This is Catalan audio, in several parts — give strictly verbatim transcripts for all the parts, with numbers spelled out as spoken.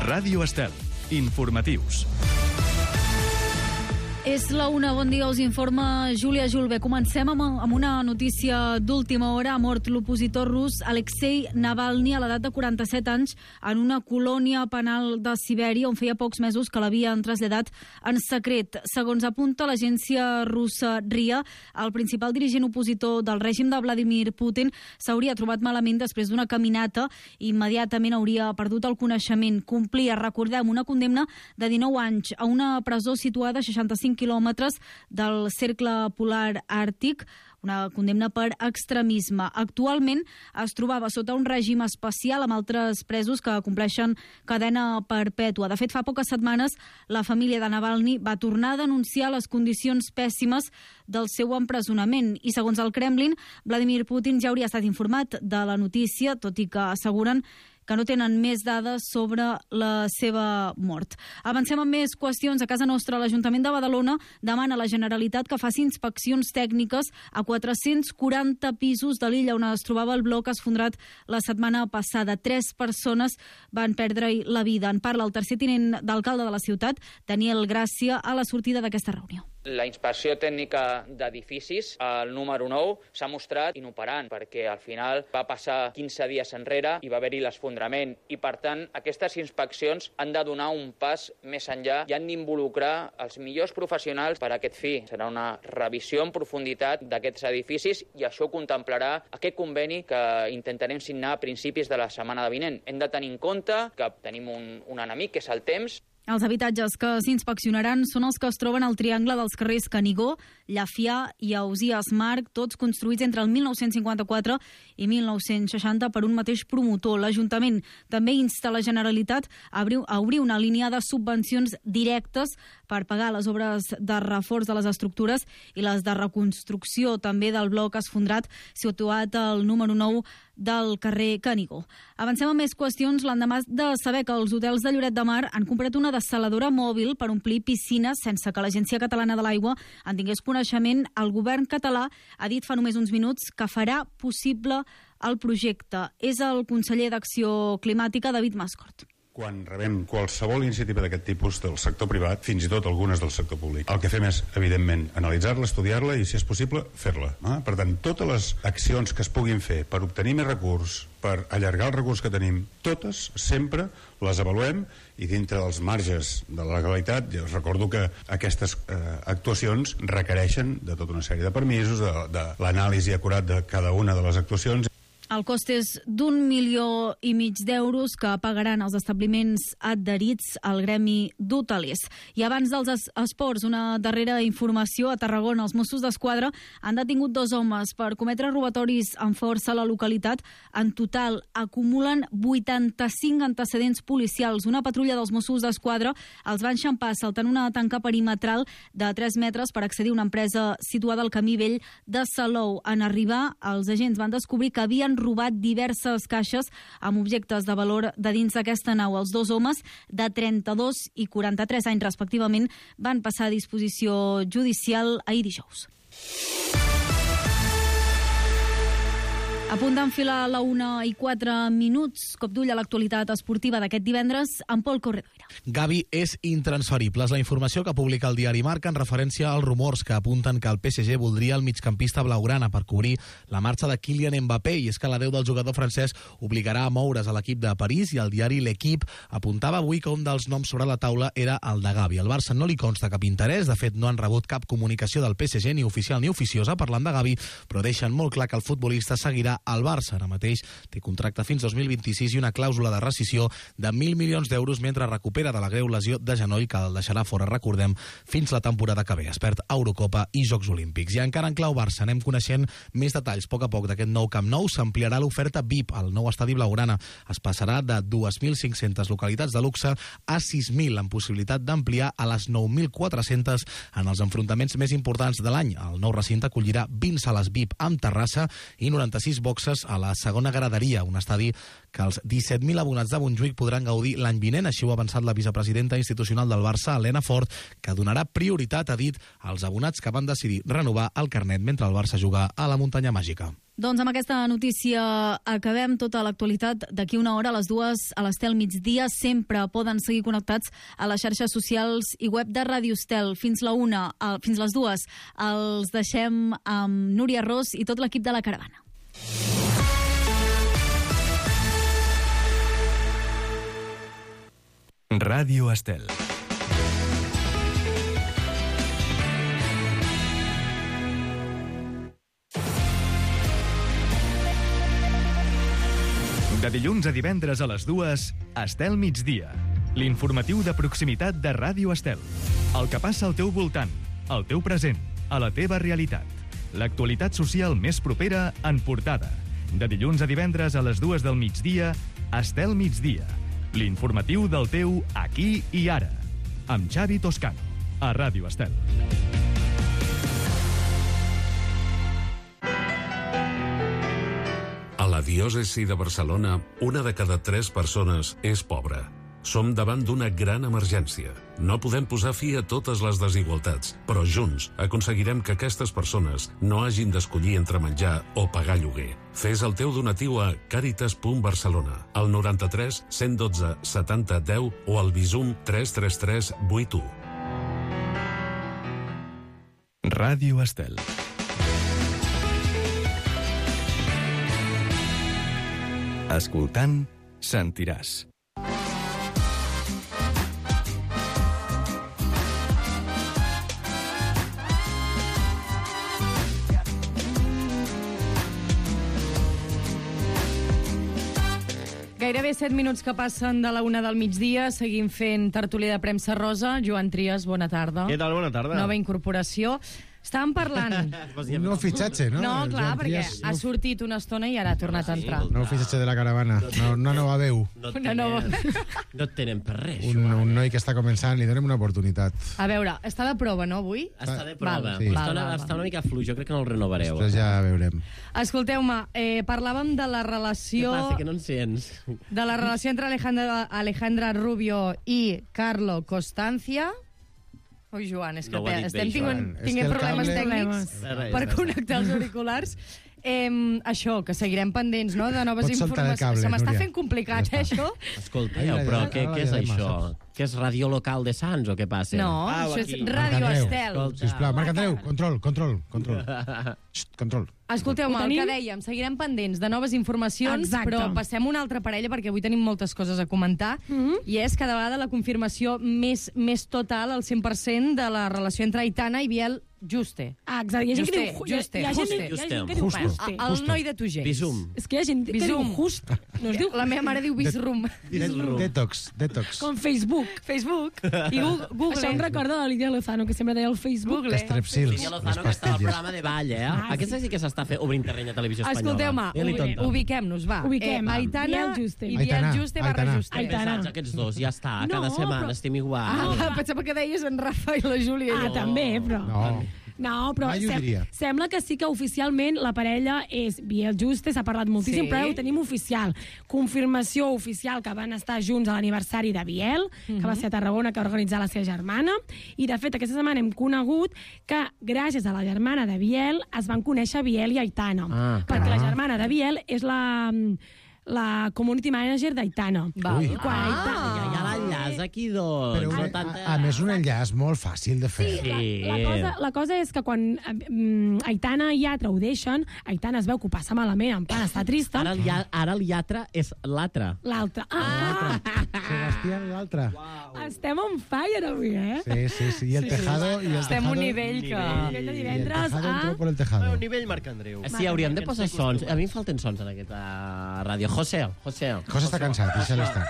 Ràdio Estel. Informatius. És la una, bon dia, us informa Júlia Julve. Comencem amb, amb una notícia d'última hora. Ha mort l'opositor rus Alexei Navalny a l'edat de quaranta-set anys en una colònia penal de Sibèria on feia pocs mesos que l'havien traslladat en secret. Segons apunta l'agència russa R I A, el principal dirigent opositor del règim de Vladimir Putin s'hauria trobat malament després d'una caminata i immediatament hauria perdut el coneixement. Complia, recordem, una condemna de dinou anys a una presó situada a seixanta-cinc quilòmetres del cercle polar àrtic, una condemna per extremisme. Actualment es trobava sota un règim especial amb altres presos que compleixen cadena perpètua. De fet, fa poques setmanes la família de Navalny va tornar a denunciar les condicions pèssimes del seu empresonament i, segons el Kremlin, Vladimir Putin ja hauria estat informat de la notícia, tot i que asseguren que no tenen més dades sobre la seva mort. Avancem amb més qüestions. A casa nostra, l'Ajuntament de Badalona demana a la Generalitat que faci inspeccions tècniques a quatre-cents quaranta pisos de l'illa on es trobava el bloc esfondrat la setmana passada. Tres persones van perdre la vida. En parla el tercer tinent d'alcalde de la ciutat, Daniel Gràcia, a la sortida d'aquesta reunió. La inspecció tècnica d'edificis, el número nou, s'ha mostrat inoperant perquè al final va passar quinze dies enrere i va haver-hi l'esfondrament i, per tant, aquestes inspeccions han de donar un pas més enllà i han d'involucrar els millors professionals per a aquest fi. Serà una revisió en profunditat d'aquests edificis i això contemplarà aquest conveni que intentarem signar a principis de la setmana vinent. Hem de tenir en compte que tenim un, un enemic, que és el temps. Els habitatges que s'inspeccionaran són els que es troben al triangle dels carrers Canigó, Llafià i Ausiàs Marc, tots construïts entre el mil nou-cents cinquanta-quatre i mil nou-cents seixanta per un mateix promotor. L'Ajuntament també insta la Generalitat a obrir una línia de subvencions directes per pagar les obres de reforç de les estructures i les de reconstrucció també del bloc esfondrat situat al número nou del carrer Canigó. Avancem amb més qüestions. L'endemà de saber que els hotels de Lloret de Mar han comprat una dessaladora mòbil per omplir piscines sense que l'Agència Catalana de l'Aigua en tingués coneixement, el govern català ha dit fa només uns minuts que farà possible el projecte. És el conseller d'Acció Climàtica, David Mascort. Quan rebem qualsevol iniciativa d'aquest tipus del sector privat, fins i tot algunes del sector públic, el que fem és, evidentment, analitzar-la, estudiar-la i, si és possible, fer-la. Eh? Per tant, totes les accions que es puguin fer per obtenir més recurs, per allargar el recurs que tenim, totes, sempre, les avaluem i dintre dels marges de la legalitat, jo recordo que aquestes eh, actuacions requereixen de tota una sèrie de permisos, de, de l'anàlisi acurat de cada una de les actuacions. El cost és d'un milió i mig d'euros que pagaran els establiments adherits al gremi d'hotelers. I abans dels es esports, una darrera informació. A Tarragona, els Mossos d'Esquadra han detingut dos homes per cometre robatoris amb força a la localitat. En total, acumulen vuitanta-cinc antecedents policials. Una patrulla dels Mossos d'Esquadra els va enxampar saltant una tanca perimetral de tres metres per accedir a una empresa situada al Camí Vell de Salou. En arribar, els agents van descobrir que havien robat diverses caixes amb objectes de valor de dins d'aquesta nau. Els dos homes, de trenta-dos i quaranta-tres anys respectivament, van passar a disposició judicial ahir dijous. A punt d'enfilar la una i quatre minuts, cop d'ull a l'actualitat esportiva d'aquest divendres amb Pol Corredoira. Gavi és intransferible. És la informació que publica el diari Marca en referència als rumors que apunten que el P S G voldria el migcampista blaugrana per cobrir la marxa de Kylian Mbappé, i és que l'adeu del jugador francès obligarà a moure's a l'equip de París, i el diari L'Equipe apuntava avui que un dels noms sobre la taula era el de Gavi. Al Barça no li consta cap interès, de fet no han rebut cap comunicació del P S G, ni oficial ni oficiosa, parlant de Gavi, però deixen molt clar que el futbolista seguirà al Barça. Ara mateix té contracte fins dos mil vint-i-sis i una clàusula de rescissió de mil milions d'euros mentre recupera de la greu lesió de genoll que el deixarà fora, recordem, fins la temporada que ve. Es perd Eurocopa i Jocs Olímpics. I encara en clau Barça anem coneixent més detalls a poc a poc d'aquest nou Camp Nou. S'ampliarà l'oferta V I P al nou estadi blaugrana. Es passarà de dos mil cinc-centes localitats de luxe a sis mil, amb possibilitat d'ampliar a les nou mil quatre-centes en els enfrontaments més importants de l'any. El nou recinte acollirà vint sales V I P amb terrassa i noranta-sis boxes a la segona graderia, un estadi que els disset mil abonats de Montjuïc podran gaudir l'any vinent. Així ho ha avançat la vicepresidenta institucional del Barça, Helena Fort, que donarà prioritat, ha dit, als abonats que van decidir renovar el carnet mentre el Barça juga a la Muntanya Màgica. Doncs amb aquesta notícia acabem tota l'actualitat. D'aquí una hora a les dues a l'Estel migdia. Sempre poden seguir connectats a les xarxes socials i web de Ràdio Estel. Fins la una, fins les dues els deixem amb Núria Ros i tot l'equip de la caravana. Ràdio Estel. De dilluns a divendres a les dues, Estel migdia. L'informatiu de proximitat de Ràdio Estel. El que passa al teu voltant, al teu present, a la teva realitat. L'actualitat social més propera en portada. De dilluns a divendres a les dues del migdia, Estel migdia. L'informatiu del teu aquí i ara. Amb Xavi Toscano, a Ràdio Estel. A la diòcesi de Barcelona, una de cada tres persones és pobra. Som davant d'una gran emergència. No podem posar fi a totes les desigualtats, però junts aconseguirem que aquestes persones no hagin d'escollir entre menjar o pagar lloguer. Fes el teu donatiu a càritas punt barcelona, al noranta-tres cent dotze setanta deu o al Bizum tres tres tres vuit u. Ràdio Estel. Escoltant, sentiràs. Gairebé set minuts que passen de la una del migdia. Seguim fent tertúlia de premsa rosa. Joan Trias, bona tarda. Què tal? Bona tarda. Nova incorporació. Estàvem parlant... Un nou fitxatge, no? No, clar, Joan perquè Trias, ha nou- sortit una estona i ara ha tornat a entrar. Nou fitxatge de la caravana. No, una nova veu. No Una nova. no et tenen per res. Un, un noi que està començant, li donem una oportunitat. A veure, està de prova, no, avui? Està de prova. Val, sí. Està, val, una, val, està val. una mica fluix, jo crec que no el renovareu. Després ja veurem. Escolteu-me, eh, parlàvem de la Què relació... passa, que no en sents? de la relació entre Alejandra, Alejandra Rubio i Carlo Constancia. Ui, Joan, és que No ho ha dit estem bé, tinguent, Joan. És tinguent que el problemes cable- tècnics Res, res, per res. connectar els auriculars. Eh, això, que seguirem pendents, no?, de noves Pots soltar el informacions. cable, Se m'està Núria. fent complicat, Ja eh, està. això? Escolteu, Ai, però la- què, la- què és la- això? saps? Què és Radio Local de Sants o què passa? No, Au, això és aquí. Radio Marc Andreu, Estel. escolta. Sisplau, Marc Andreu, control, control, control. Xxt, control. Escolteu-me, Ho el tenim? que dèiem, seguirem pendents de noves informacions, Exacte. però passem a una altra parella perquè avui tenim moltes coses a comentar, Mhm. i és cada vegada la confirmació més, més total, al cent per cent, de la relació entre Aitana i Biel Juste. Ah, exacte. Hi ha gent que Juste, diu... hi ha- juste, hi ha gent, juste. hi ha gent que diu Justo. juste. El noi de Tugell. Bisum. És que hi ha gent que diu Bisum. just. No es diu La meva mare diu Bisrum. Bisrum. Detox, detox. com Facebook. Facebook. I Gu- Google. Això em recorda de Lídia Lozano, que sempre deia el Facebook. Google. Estrepsils, Lídia les Lozano, que estava al pastilles. programa de ball, eh? Ah, Aquesta sí que s'està fent obrint terreny a Televisió Espanyola. Escolteu-me, Dile-li ubi- tonto. ubiquem-nos, va. Ubiquem. Eh, Aitana Biel Juste. i Biel Aitana, Juste barra Aitana. Juste. Aitana. Pesats aquests dos, ja està. No, Cada setmana però- estem igual. Ah, pensava que deies en Rafa i la Júlia. Ah, també, però... No. No, però Mai ho diria. sembla que sí que oficialment la parella és Biel Juste, s'ha parlat moltíssim, Sí. però ara ho tenim oficial. Confirmació oficial que van estar junts a l'aniversari de Biel, que va ser a Tarragona, que va organitzar la seva germana, i de fet aquesta setmana hem conegut que gràcies a la germana de Biel es van conèixer Biel i Aitana, Ah. perquè Ah. la germana de Biel és la la community manager d'Aitana. Val. Ui. I quan Aitana... Ja, ja l'enllaç aquí, doncs. Però no un, tanta... a, a més, un enllaç molt fàcil de fer. Sí. La cosa, la cosa és que quan eh, Aitana i Yatra ho deixen, Aitana es veu que ho passa malament, en plan, està trista. Ara el, lля- ara el lletre és l'altre. L'altre. Ah! Sebastián, l'altre. Estem on fire avui, eh? Sí, sí, sí. I el tejado... I el Estem a tejado, un nivell que... Nivell de y el divendres tejado a... entró por el Un tejado. nivell Marc Andreu. Sí, hauríem de posar sons. A mi em falten sons en aquesta ràdio. José, José. José està cansat, deixa-lo estar.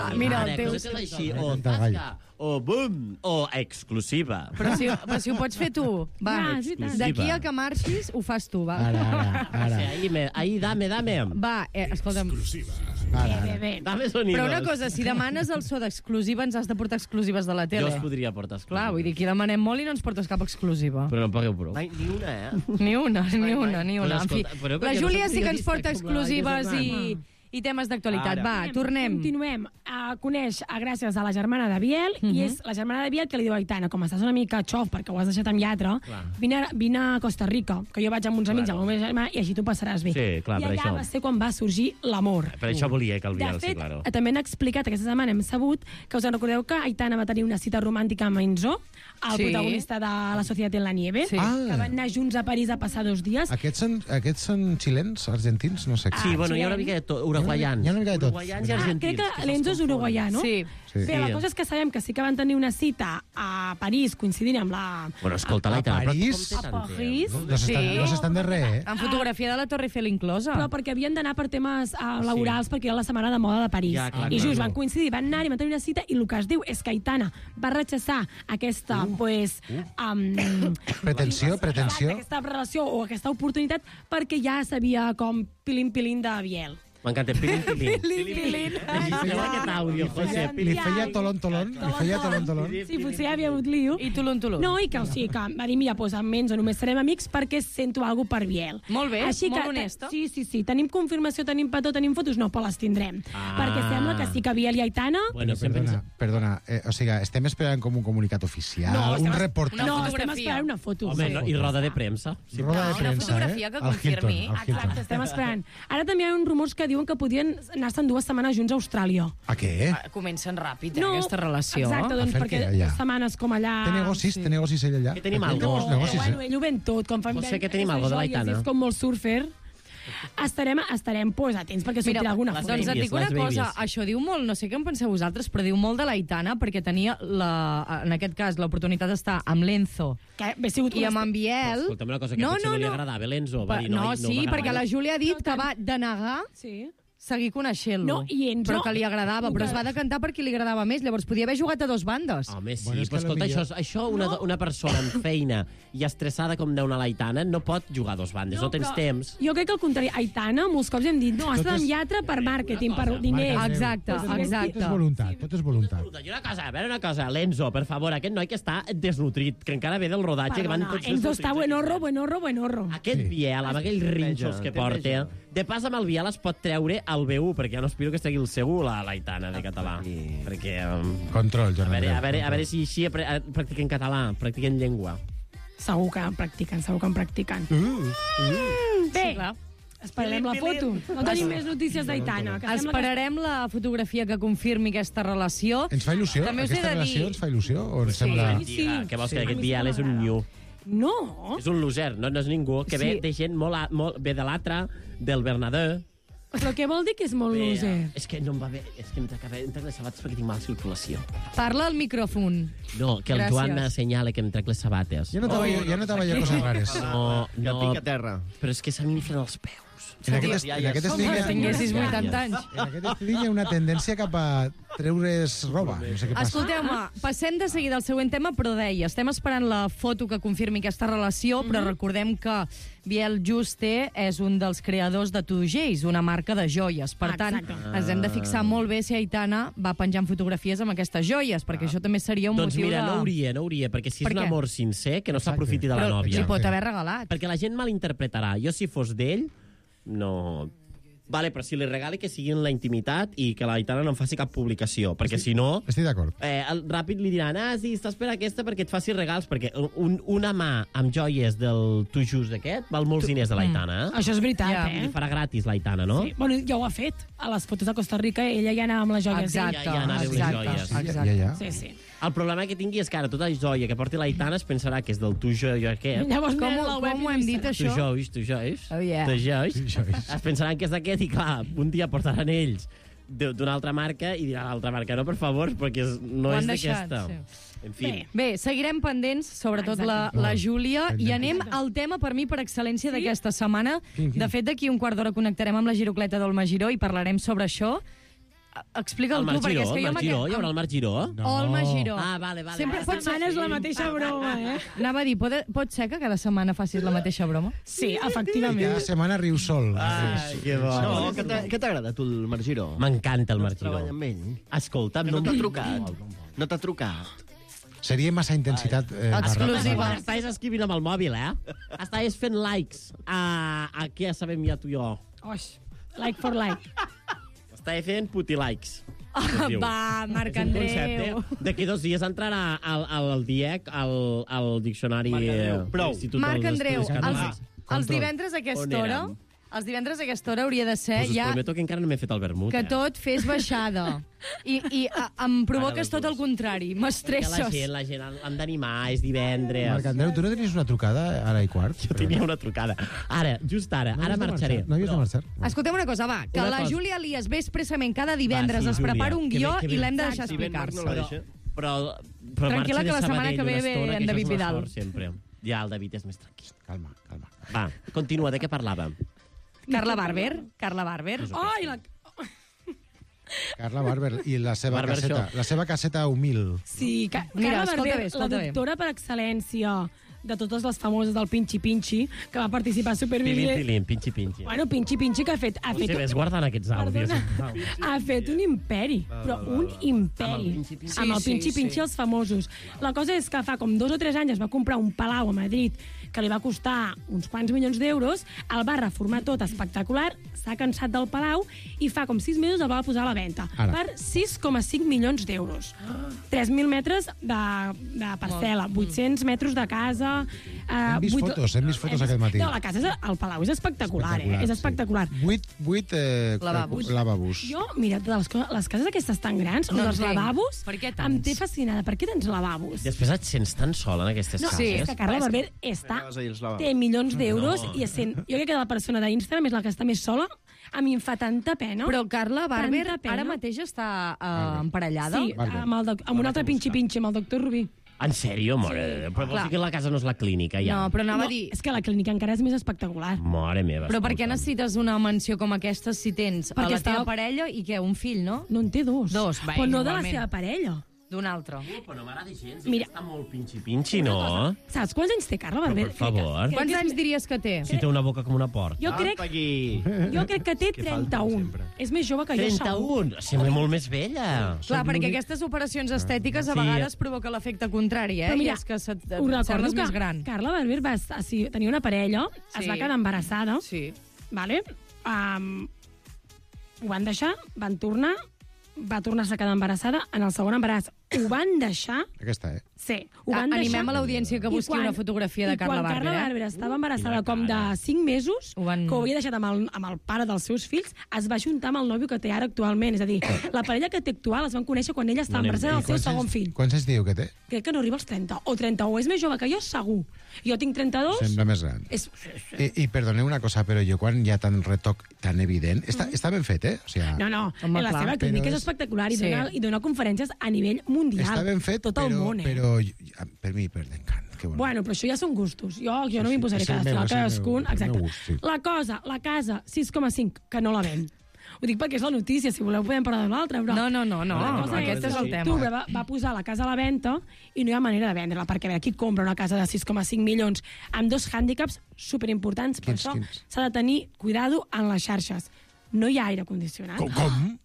Ah, mira, el Ara, teu... coses així, o Canta el gall. tasca, o boom, o exclusiva. Però si, però si ho pots fer tu, va. Ah, és veritat. D'aquí al que marxis, ho fas tu, va. Ara, ara, Sí, ara. ahí, me, ahí, dame, dame. Va, eh, escolta'm, ara, Bé, ara. bé, bé. Dame sonidos. però una cosa, si demanes el so d'exclusiva, ens has de portar exclusives de la Jo tele. us podria portar exclusiva. Clar, vull dir, aquí demanem molt i no ens portes cap exclusiva. Però no en pagueu prou. Mai, ni una, eh? Ni una, ni una, ni una. Però En fi, escolta, però la perquè no Júlia soc sí que ens periodista porta com la exclusives Laia i, I temes d'actualitat. Va, tornem. Continuem. Uh, coneix uh, gràcies a la germana de Biel, uh -huh. i és la germana de Biel que li diu a Aitana, com estàs una mica xof perquè ho has deixat amb lletra, vine, vine a Costa Rica, que jo vaig amb uns amics claro. amb el meu germà i així tu passaràs bé. Sí, clar, I per allà això. va ser quan va sorgir l'amor. Per això volia que el Biel, de fet, sí, claro. també han explicat, aquesta setmana hem sabut, que us en recordeu que Aitana va tenir una cita romàntica amb Enzo, el Sí. protagonista de La Societat en la Nieve, Sí. que Ah. van anar junts a París a passar dos dies. Aquests són, aquests són xilens, argentins? No sé. Sí, bueno, hi ha una mica de tot, uruguaians. Hi ha una mica de tot. Uruguaians i Ah, argentins. crec que l'Enzo és uruguaià, no? Sí. Sí. Bé, la cosa és que sabem que sí que van tenir una cita a París coincidint amb la... Bueno, escolta, A l'Aitana, però París? com té tant A París? temps? No s'estan Sí. no s'estan de res, eh? Amb fotografia de la Torre Eiffel inclosa. Però perquè havien d'anar per temes uh, laborals, perquè era la setmana de moda de París. Ja, clar, I clar, just clar. van coincidir, van anar i van tenir una cita, i el que es diu és que Aitana va rechaçar aquesta, uh, pues... Um, Pretensió, pretensió. aquesta relació o aquesta oportunitat perquè ja sabia com pilin-pilin de Biel. M'encanta, pilin, pilin. Pilin-pilin. Registreu aquest àudio, José. Li feia tolon, tolon, li feia tolon, tolon. Sí, potser hi havia hagut lío. I Tulum, Tulum. No, i que, o sigui, que va dir, mira, doncs amb Enzo només serem amics perquè sento alguna per Biel. Molt bé, Així molt que, honesta. Sí, sí, sí, tenim confirmació, tenim petó, tenim fotos, no, però les tindrem. Ah. Perquè sembla que sí que Biel i Aitana... Bueno, sempre Perdona, perdona. Eh, o sigui, estem esperant com un comunicat oficial, No, un estem- reportatge. No, estem fotografia. esperant una foto. Home, no, i roda de premsa. Sí. Roda de Una premsa, fotografia eh? que Al Hilton, confirmi. al Hilton. Exacte, estem esperant. Ara també hi ha uns rumors que diuen que podien anar-se'n dues setmanes junts a Austràlia. A què? Ah, Comencen ràpid, eh, aquesta relació. Exacte, doncs A fer perquè què, allà? dues setmanes com allà... Té negocis, té negocis ell allà. Que tenim Ell té algo. molts negocis, bueno, eh? ell ho ven tot, com fan José, ven- que tenim aquestes algo de joies, l'Aitana. És com molt surfer. Estarem, estarem pues, atents perquè sortirà alguna les foto. Doncs et babies, dic una les cosa, babies. això diu molt, no sé què en penseu vosaltres, però diu molt de l'Aitana, perquè tenia, la, en aquest cas, l'oportunitat d'estar amb l'Enzo Que bé sigut i amb en Biel. Escolta'm una cosa, que No, potser no, no, li no. agradava l'Enzo. Va Pa- dir, no, no, sí, no perquè la Júlia ha dit que va denegar Sí. seguir coneixent-lo, No, i Enzo- però que li agradava, però es va decantar per qui li agradava més, llavors podia haver jugat a dos bandes. Home, sí, Bueno, és que però escolta, potser- això, això una, No. una persona amb feina i estressada com deu una l'Aitana no pot jugar a dos bandes, no, tens però temps. Jo crec que al contrari, Aitana, molts cops hem dit, no, has Tot d'anar amb és- lletra per màrqueting, per diners. Marca- Exacte, Pues, exacte. Tot és voluntat, tot és voluntat. I una cosa, a veure una cosa, l'Enzo, per favor, aquest noi que està desnutrit, que encara ve del rodatge, que van Perdona, tots Enzo desnutrits està aquí. buenorro, buenorro, buenorro. Aquest Sí. Biel, amb aquells rinxos que porta, de pas amb el Biel es pot treure el B u, perquè ja no aspiro que estigui el C u, la l'Aitana, de català. Perquè, um, Control, a Joan veure, Andreu. a veure, a veure control. si així apre- eh, practiquen català, practiquen llengua. Segur que en practiquen, segur que en practiquen. Bé, Sí, clar. esperarem la foto. No tenim més notícies d'Aitana. que sembla que- Esperarem la fotografia que confirmi aquesta relació. Ens fa il·lusió? També us he Aquesta de relació dir- ens fa il·lusió? O ens sembla... Sí. Diga, què vols que Sí. aquest Biel és un nyu? No. És un loser, no, no és ningú, que ve Sí. de gent molt, a- molt ve de l'altre, del Bernadeu. Però què vol dir que és molt Bé, loser? És que no em va bé, és que em trec, em trec les sabates perquè tinc mala circulació. Parla al micròfon. No, que el Gràcies. Joan m'assenyala que em trec les sabates. Ja notava, jo, ja notava jo coses rares. No, Que no, tinc a terra. però és que se m'inflen els peus. En aquest, est- en aquest estil, Com que tinguessis en vuitanta anys. aquest estil hi ha una tendència cap a treure's roba. No sé què passa. Escolteu-me, passem de seguida al següent tema, però deia, estem esperant la foto que confirmi aquesta relació, però recordem que Biel Juste és un dels creadors de Two Jays, una marca de joies. Per tant, Exacte. ens hem de fixar molt bé si Aitana va penjant fotografies amb aquestes joies, perquè això també seria un Doncs motiu mira, de... no hauria, no hauria, perquè si és Per un què? amor sincer, que no Exacte. s'aprofiti de la Però nòvia. li pot haver regalat. Perquè la gent malinterpretarà. Jo, si fos d'ell, no... Vale, però si li regali que sigui en la intimitat i que l'Aitana no en faci cap publicació, perquè si no... Estic d'acord. Eh, el, ràpid li diran, ah, sí, estàs per aquesta perquè et faci regals, perquè un, una mà amb joies del Tu Just aquest val molts diners de l'Aitana, eh? Això és veritat, Ja. I li eh? farà gratis l'Aitana, no? Sí. Bueno, ja ho ha fet. A les fotos de Costa Rica ella ja anava amb les joies. Exacte, Ja- ja anava amb les exacte, joies. Sí, ja, exacte. ja, ja. Sí, sí. El problema que tingui és que ara tota joia que porti l'Aitana es pensarà que és del Tu Jo aquest. Llavors, Com, mira ho- la web com i ho hem no hi dit, serà. Tu això? Jois, tu Jois. Oh, yeah. Tu Jois. Tu Jois. Es pensaran que és aquest i, clar, un dia portaran ells de- d'una altra marca i diran l'altra marca, no, per favor, perquè és, no Ho han és deixat, d'aquesta. sí. En fi. Bé. Bé, seguirem pendents, sobretot la, Exacte. la Júlia, i Exacte. anem al tema, per mi, per excel·lència d'aquesta setmana. Quin, quin? De fet, d'aquí un quart d'hora connectarem amb la Girocleta d'Olma Giró i parlarem sobre això. Explica'l El tu, Marc perquè Giró, és que el jo... Marc Giró, hi haurà el Marc Giró? No. Olma Giró. Ah, vale, vale. Sempre vale. pot ser... Setmana és la mateixa broma, eh? Anava a dir, pot, pot ser que cada setmana facis la mateixa broma? Sí, I cada efectivament. setmana riu sol. Ai, que bo. No, què t'ha- què t'agrada, tu, el Marc Giró? M'encanta el Marc Giró. Treballa amb ell. Escolta'm, Que no t'ha trucat. No t'ha trucat. Seria massa intensitat. Eh, Exclusiva. barra- Estaves escrivint amb el mòbil, eh? Estaves fent likes a, a què sabem ja tu i jo. Oix, like for like. Està fent putilikes. Ah, va, Marc Andreu. D'aquí dos dies entrarà al, al, al D I E C, al, al diccionari... Prou. Marc Andreu, els, els Control. divendres a aquesta On hora... érem? Els divendres a aquesta hora hauria de ser Pues us ja prometo que encara no m'he fet el vermut. que eh? tot fes baixada. I, i a, em provoques tot el contrari. Que la M'estresses. gent, la gent l'han d'animar, és divendres. Marc Andreu, tu no tenies una trucada ara i quart? Jo tenia una trucada. Ara, just ara, No ara havies de marxaré. marxar, No havies de marxar. Escolteu una cosa, va, que Una la cosa. Júlia Elias ve expressament cada divendres, Va, sí, es prepara Júlia. un Que guió bé, que bé. i l'hem de deixar Si ben Marc explicar-se. no la deixa. Però, però Tranquil·la, marxa que de la setmana Sabadell que ve una ve estona, en que David això és Vidal. l'esforç, sempre. Ja, el David és més tranquil. Calma, calma. Va, continua, de què parlàvem? Carla Barber, Carla Barber. Ai, la... Carla Barber i la seva Barber caseta, Show. la seva caseta humil. Sí, Ca Mira, Carla escolta Barber, bé, escolta la bé. doctora per excel·lència de totes les famoses del Pinchi Pinchi, que va participar a Pilim, Supervivent. pilim, pinxi, pinxi. Bueno, Pinchi Pinchi que ha fet... Ha O sigui, fet ves guardant aquests àudios. Perdona. Ha fet un imperi, però un imperi. Amb el Pinchi Pinchi. Amb el Sí, sí, Pinchi sí. Pinchi, els famosos. La cosa és que fa com dos o tres anys es va comprar un palau a Madrid que li va costar uns quants milions d'euros, el va reformar tot espectacular, s'ha cansat del palau i fa com sis mesos el va posar a la venda Ara. per sis coma cinc milions d'euros. tres mil metres de, de parcel·la, vuit-cents metres de casa... Eh, Hem vist vuit- fotos, hem vist fotos hem aquest matí. No, la casa, és, el palau és espectacular, eh? És espectacular. Sí. Vuit, vuit eh, Lavabos. lavabos. Jo, mira, de les, co- les cases aquestes tan grans, No no dels entenc. lavabos, Per què tants? em té fascinada. Per què tens lavabos? Després et sents tan sola en aquestes No, cases. sí, és que Carla Barber està, Vas ahir als lavabos. té milions d'euros i és sent, jo crec que la persona d'Instagram és la que està més sola. A mi em fa tanta pena. Però Carla Barber Tanta pena. ara mateix està uh, emparellada. Sí, Barber. amb, el doc, amb un altre pinxi-pinxi, amb el doctor Rubí. En sèrio? Mare de Déu. Però vols clar. dir que la casa no és la clínica, ja? No, però anava No, a dir... és que la clínica encara és més espectacular. Mare meva. Però per què escolta'm. necessites una mansió com aquesta si tens Perquè a la teva estava- parella i què, un fill, no? No en té dos. Dos, va, Però no de la igualment. seva parella. D'un altre. Però no m'agrada gens, Mira. està molt pinxi-pinxi, no? Saps quants anys té Carla Barber? per favor. Quants anys diries que té? Si té una boca com una porta. Jo crec, Aquí. jo crec que té trenta-un. És més jove que jo, segur. trenta-un? Sembla molt més vella. Clar, perquè aquestes operacions estètiques a Sí. vegades provoca l'efecte contrari, eh? Però mira, I és que se't, Ho recordo sembles que més gran. Carla Barber va estar, sí, tenia una parella, Sí. es va quedar embarassada, Sí. vale? Um, ho van deixar, van tornar, va tornar-se a quedar embarassada en el segon embaràs. Ho van deixar... Aquesta, eh? Sí, ho van A- deixar... animem a l'audiència que I busqui una fotografia de i Carla quan Barber, Carla eh? Barber estava embarassada Quina com de cara. cinc mesos, Ho van- que ho havia deixat amb el, amb el pare dels seus fills, es va juntar amb el nòvio que té ara actualment. És a dir, la parella que té actual es van conèixer quan ella estava No anem embarassada bé. del seu segon fill. Quants anys diu que té? Crec que no arriba als trenta, o trenta-u. És més jove que jo, segur. Jo tinc trenta-dos. Sembla més gran. És... I, I perdoneu una cosa, però jo quan hi ha tant retoc tan evident... Està, està ben fet, eh? O sigui, No, no, Home, la clar, seva clínica però és és- espectacular i, Sí. dona, i dona conferències a nivell mundial. està ben fet, tot però, el món, eh? però jo- per mi perden cant. Que bueno. Bueno, però això ja són gustos. Jo, jo Sí, no sí, m'imposaré és el cada meu, estil, és el meu- cadascun... el meu Exacte. gust, sí. La cosa, la casa, sis coma cinc, que no la ven. Ho dic perquè és la notícia, si voleu podem parlar de l'altra, però... No, no, no, no, La no, cosa aquest és que el tema. l'octubre Va, va posar la casa a la venda i no hi ha manera de vendre-la, perquè a veure, qui compra una casa de sis coma cinc milions amb dos hàndicaps superimportants, per Quins, això quins? s'ha de tenir cuidado en les xarxes. No hi ha aire condicionat. Com? com?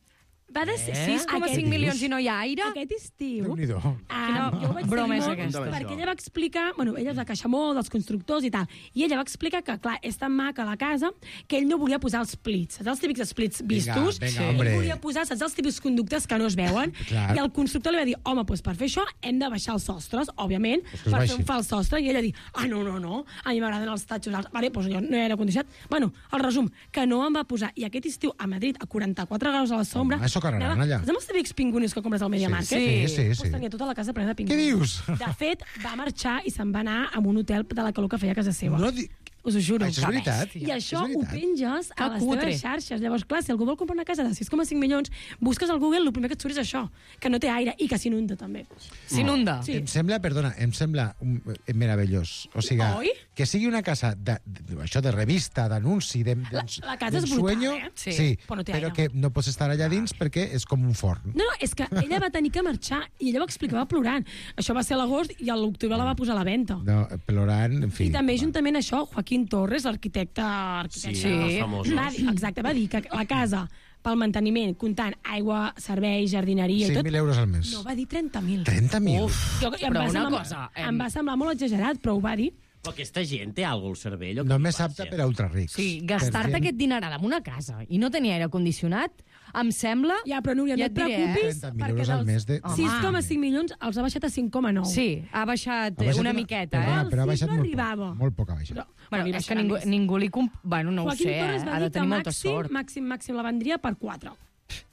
Va de ser sis coma cinc milions i no hi ha aire? Aquest estiu... Déu-n'hi-do. Ah, jo ho vaig broma és seguir molt, aquesta? perquè ella va explicar... Bueno, ella és de queixa molt dels constructors i tal, i ella va explicar que, clar, és tan maca la casa que ell no volia posar els plits. Saps els típics splits vistos? vinga, ell hombre. volia posar, saps els típics conductes que no es veuen? Clar. I el constructor li va dir, home, doncs per fer això hem de baixar els sostres, òbviament, Pues que es per baixi. fer un fals sostre, i ella dir, ah, no, no, no, a mi m'agraden els tatxos alts. Vale, doncs jo no hi ha aire condicionat. Bueno, el resum, que no em va posar. I aquest estiu a Madrid, a quaranta-quatre graus a la sombra... Home, això cararan anava- allà. Saps els típics pingunis que compres al MediaMarket? Sí, sí, sí, Pues sí. tenia tota la casa plena de pinguins. Què dius? De fet, va marxar i se'n va anar a un hotel de la calor que feia a casa seva. No di... Us ho juro. Això és veritat? I això És ho veritat? penges a Que les cutre. teves xarxes. Llavors, clar, si algú vol comprar una casa de sis coma cinc milions, busques al Google, el primer que et surt és això, que no té aire i que s'inunda també. S'inunda. Sí. Em sembla, perdona, em sembla un, eh, meravellós. O sigui, Oi? que sigui una casa de, de, això de revista, d'anunci, de, de, La- la casa és brutal, sueño, eh? Sí, sí, però no té però aire. que no pots estar allà dins perquè és com un forn. No, no, és que ella va tenir que marxar i ella ho explicava plorant. Això va ser a l'agost i a l'octubre la va posar a la venda. No, plorant, en fi. I també va. juntament a això, Joaquín Torres, l'arquitecte... arquitecte Sí, els famosos. Va dir, exacte, va dir que la casa, pel manteniment, comptant aigua, serveis, jardineria i cinc tot, mil euros al mes. no, va dir trenta mil. trenta mil? Jo, i em, Però va una semblar, cosa, em- em va semblar molt exagerat, però ho va dir. Però aquesta gent té alguna cosa al cervell? Només apte per a ultrarics. Sí, gastar-te aquest dineral en una casa i no tenir aire condicionat, em sembla... Ja, però Núria, no ja et preocupis, trenta mil perquè euros al mes de... sis coma cinc milions els ha baixat a cinc coma nou. Sí, ha baixat, Ha baixat una una- miqueta, Perdona, eh? però ha El baixat ciclo molt arribava. poc. Molt poc ha baixat. Però, Bueno, li és que baixarà ningú, més. ningú li... Comp... Bueno, no Joaquim ho sé, Torres eh? va Ha de dir que tenir molta màxim, sort. màxim, màxim la vendria per quatre.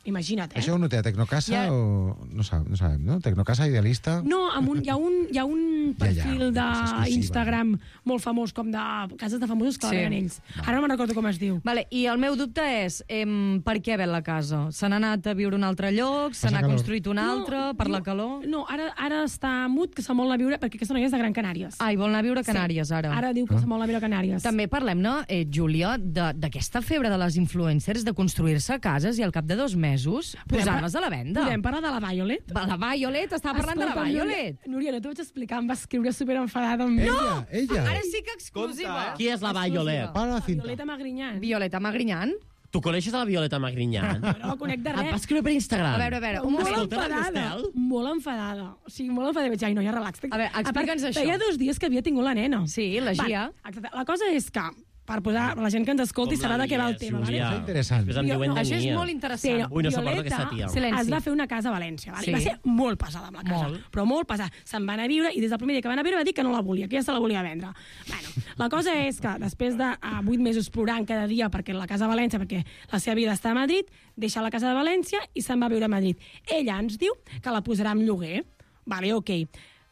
Imagina't, eh? Això ho noté a Tecnocasa Ja- o... No, sab, no sabem, no? Tecnocasa Idealista... No, amb un, hi ha un, hi ha un Ja, ja, perfil una cosa exclusiva. d'Instagram molt famós, com de cases de famosos que Sí. sí. ells. Ara no me'n recordo com es diu. Vale, i el meu dubte és, em, per què ven la casa? Se n'ha anat a viure a un altre lloc? Se Passa n'ha calor. construït un altre? Per la diu- calor? No, ara, ara està mut, que se'n vol anar a viure, perquè aquesta noia és de Gran Canàries. Ah, i vol anar a viure a Canàries, ara. Ara diu que Ah. se'n vol anar a viure a Canàries. També parlem-ne, eh, Júlia, de- d'aquesta febre de les influencers de construir-se cases i al cap de dos mesos posar-les a la venda. Podem parlar de la Violet? La Violet, estava parlant de la Escolta'm, Violet. Núria, Núria, no t'ho vaig explicar, em va escriure superenfadada amb mi. Ella, ella. Ara sí que exclusiva. Qui és la Violet? Para la cinta. Violeta Magrinyán. Violeta Magrinyán? Tu coneixes a la Violeta Magrinyán? No la conec de Et va res. escriure per Instagram. A veure, a veure, un Molt moment. Escolta, enfadada, l'Estel? molt enfadada. O sigui, molt enfadada. Vaig dir, ai, no, ja relax. A veure, explica'ns això. Feia dos dies que havia tingut la nena. Sí, la Gia. Va, exacte. La cosa és que, per posar la gent que ens escolti, Com sabrà la de què va el lies, tema. Júlia? Vale? És interessant. Després em Jo- diuen no, de Això és Nia. molt interessant. Ui, no suporto Violeta aquesta tia. Silenci. es va fer una casa a València. Vale? Sí. I va ser molt pesada amb la casa. Molt. Però molt pesada. Se'n va anar a viure i des del primer dia que van a viure va dir que no la volia, que ja se la volia vendre. Bueno, la cosa és que després de uh, vuit mesos plorant cada dia perquè la casa a València, perquè la seva vida està a Madrid, deixa la casa de València i se'n va a viure a Madrid. Ella ens diu que la posarà en lloguer. Vale, ok.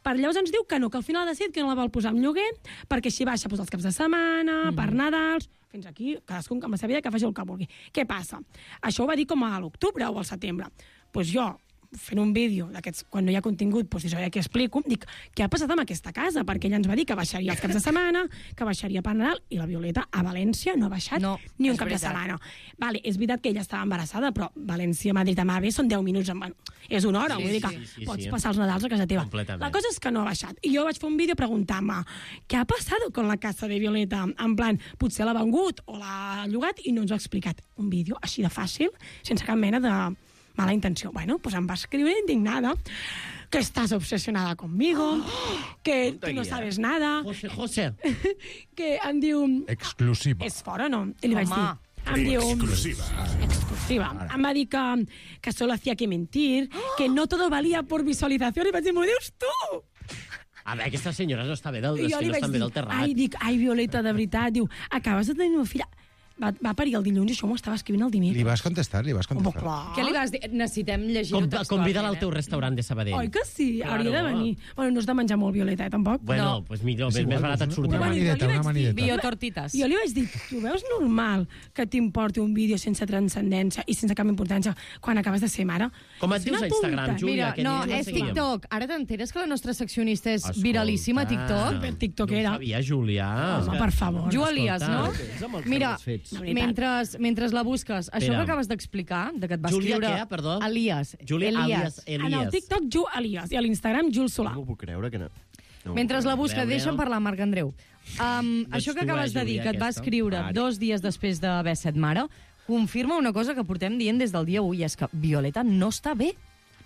Per llavors ens diu que no, que al final ha decidit que no la vol posar en lloguer perquè així baixa doncs, els caps de setmana, mm. per Nadals, fins aquí, cadascun amb la seva vida que faci el que vulgui. Què passa? Això ho va dir com a l'octubre o al setembre. Doncs pues jo, fent un vídeo d'aquests, quan no hi ha contingut, doncs això ja que explico, dic, què ha passat amb aquesta casa? Perquè ella ens va dir que baixaria els caps de setmana, que baixaria per Nadal, i la Violeta a València no ha baixat No, ni un és cap veritat. de setmana. Vale, és veritat que ella estava embarassada, però València, Madrid, amb A V són deu minuts. En... És una hora, Sí, vull dir que sí, sí, pots sí. passar els Nadals a casa teva. Completament. La cosa és que no ha baixat. I jo vaig fer un vídeo preguntant-me què ha passat con la casa de Violeta? En plan, potser l'ha vengut o l'ha llogat i no ens ho ha explicat. Un vídeo així de fàcil, sense cap mena de mala intenció. Bueno, pues em va escriure indignada que estás obsesionada conmigo, que tú no sabes nada, José, José. que em diu... Exclusiva. És fora, no? I li vaig Home. dir... Em diu... Exclusiva. Em va dir que, que solo hacía que mentir, que no todo valía por visualización, i vaig dir, m'ho dius tu? A veure, aquesta senyora no està bé del, I és jo que li no vaig estan bé dir, del terrat. ai, dic, ai, Violeta, de veritat, diu, acabes de tenir una filla... Va, va parir el dilluns i això m'ho estava escrivint el dimecres. Li vas contestar, li vas Home, contestar. clar. Què li vas dir? Necessitem llegir-ho Com, textualment. convida-la al eh? teu restaurant de Sabadell. Oi que sí? Claro. Hauria de venir. Bueno, no és de menjar molt, Violeta, eh, tampoc. Bueno, No. doncs pues millor, És més, igual, més barat et una- surt. una Bueno, jo li manideta, vaig una dir, manideta. Biotortites. Jo li vaig dir, tu veus normal que t'importi un vídeo sense transcendència i sense cap importància quan acabes de ser mare? Com et És dius una a Instagram, punta. Júlia? Mira, que no, ni ens és seguíem. TikTok. Ara t'enteres que la nostra seccionista és Escolta. viralíssima a TikTok? Per tiktokera. No ho sabia, Julià. Home, per favor. Jo Elias, no? Escolta. Mira, fets. mentre, mentre la busques, això Espera. que acabes d'explicar, de que et va Júlia escriure... què, perdó? Elias. Júlia Elias. Elias. En el Elias. TikTok, Ju Elias, i a l'Instagram, Jules Solà. No m'ho puc creure que no. no Mentre la busca, Veure. deixa'm parlar, Marc Andreu. Um, No això ets que tu, acabes eh, de dir, Júlia, que et va aquesta? escriure Vale. dos dies després d'haver set mare, confirma una cosa que portem dient des del dia u, i és que Violeta no està bé.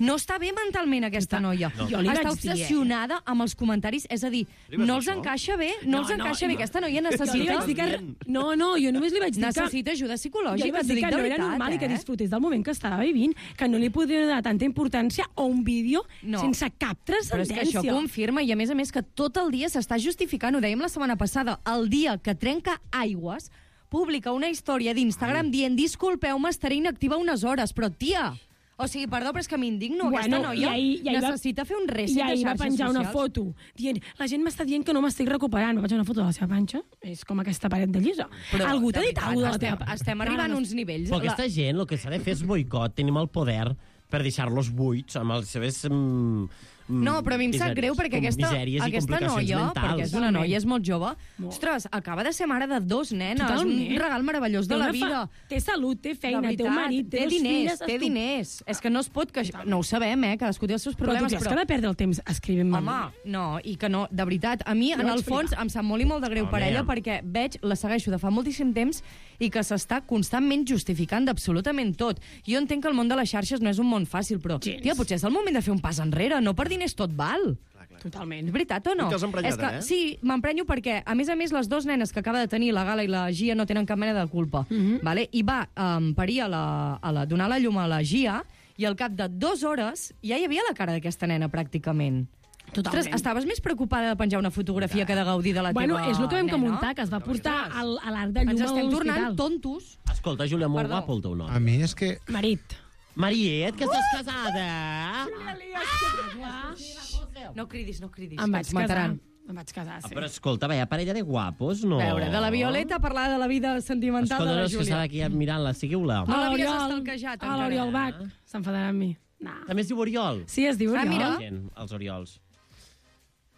No està bé mentalment, aquesta noia. No. Jo li Està vaig dir, eh? obsessionada amb els comentaris, és a dir, no els encaixa bé, no, els encaixa bé. Aquesta noia Jo li necessita... vaig dir que... No, no, jo només li vaig dir que... Necessita ajuda Jo li psicològica, vaig t'ho dir dic que de no era veritat, normal i que eh? disfrutés del moment que estava vivint, que no li podia donar tanta importància a un vídeo No. sense cap Però és que transcendència. això confirma, i a més a més que tot el dia s'està justificant, ho dèiem la setmana passada, el dia que trenca aigües, publica una història d'Instagram dient disculpeu-me, estaré inactiva unes hores, però tia... O sigui, perdó, però és que m'indigno. Aquesta noia i ahir, i ahir necessita va, fer un reset i ahir de va xarxes penjar una socials. foto dient, la gent m'està dient que no m'estic recuperant. Va penjar una foto de la seva panxa, és com aquesta paret de llisa. Però, Algú t'ha de dit veritat, alguna cosa de la estem, teva... estem arribant a uns nivells... Però aquesta gent, el que s'ha de fer és boicot. Tenim el poder per deixar-los buits amb les seves... Mm, No, però a mi em sap greu perquè aquesta, aquesta noia, perquè és una noia, és molt jove, Molt. ostres, acaba de ser mare de dos nenes, Totalment. un regal meravellós de Té la una fa- vida. Té salut, té feina, De té un veritat, marit, té, té dos diners, filles... té estu- diners. És que no es pot queixar. No ho sabem, eh? Cadascú té els seus Però tu problemes, creus però... que ha de perdre el temps escrivint-me? Home, no, i que no, de veritat, a mi, Jo en vaig el fons, flipar. em sap molt i molt de greu Home. per ella, perquè veig, la segueixo de fa moltíssim temps i que s'està constantment justificant d'absolutament tot. Jo entenc que el món de les xarxes no és un món fàcil, però, Gens. tia, potser és el moment de fer un pas enrere, no per diners tot val. Totalment. És veritat o no? I te'ls emprenyat, És que, eh? Sí, m'emprenyo perquè, a més a més, les dues nenes que acaba de tenir la Gala i la Gia no tenen cap mena de culpa. Mm -hmm. Vale? I va um, parir a la, a la, donar la llum a la Gia i al cap de dues hores ja hi havia la cara d'aquesta nena, pràcticament. Totalment. Ostres, estaves més preocupada de penjar una fotografia que de gaudir de la Bueno, teva és el que vam nena? comentar, que es va portar al, a l'arc de llum Ens a estem tornant l'hospital. tontos. Escolta, Júlia, molt Perdó. guapo el teu nom. A mi és que... Marit. Mariet, que estàs casada? No cridis, no cridis. Em que vaig ens mataran. casar. Em vaig casar, Ah, sí. però escolta, veia parella de guapos, no? A veure, de la Violeta a parlar de la vida sentimental Escolta, de no, la és que Júlia. estava aquí mirant-la, seguiu-la. No A l'havies l'Oriol- estalquejat, A encara. l'Oriol Bach. S'enfadarà amb mi. Nah. També es diu Oriol. Sí, es diu Ah, Oriol. mira. Gent, els Oriols.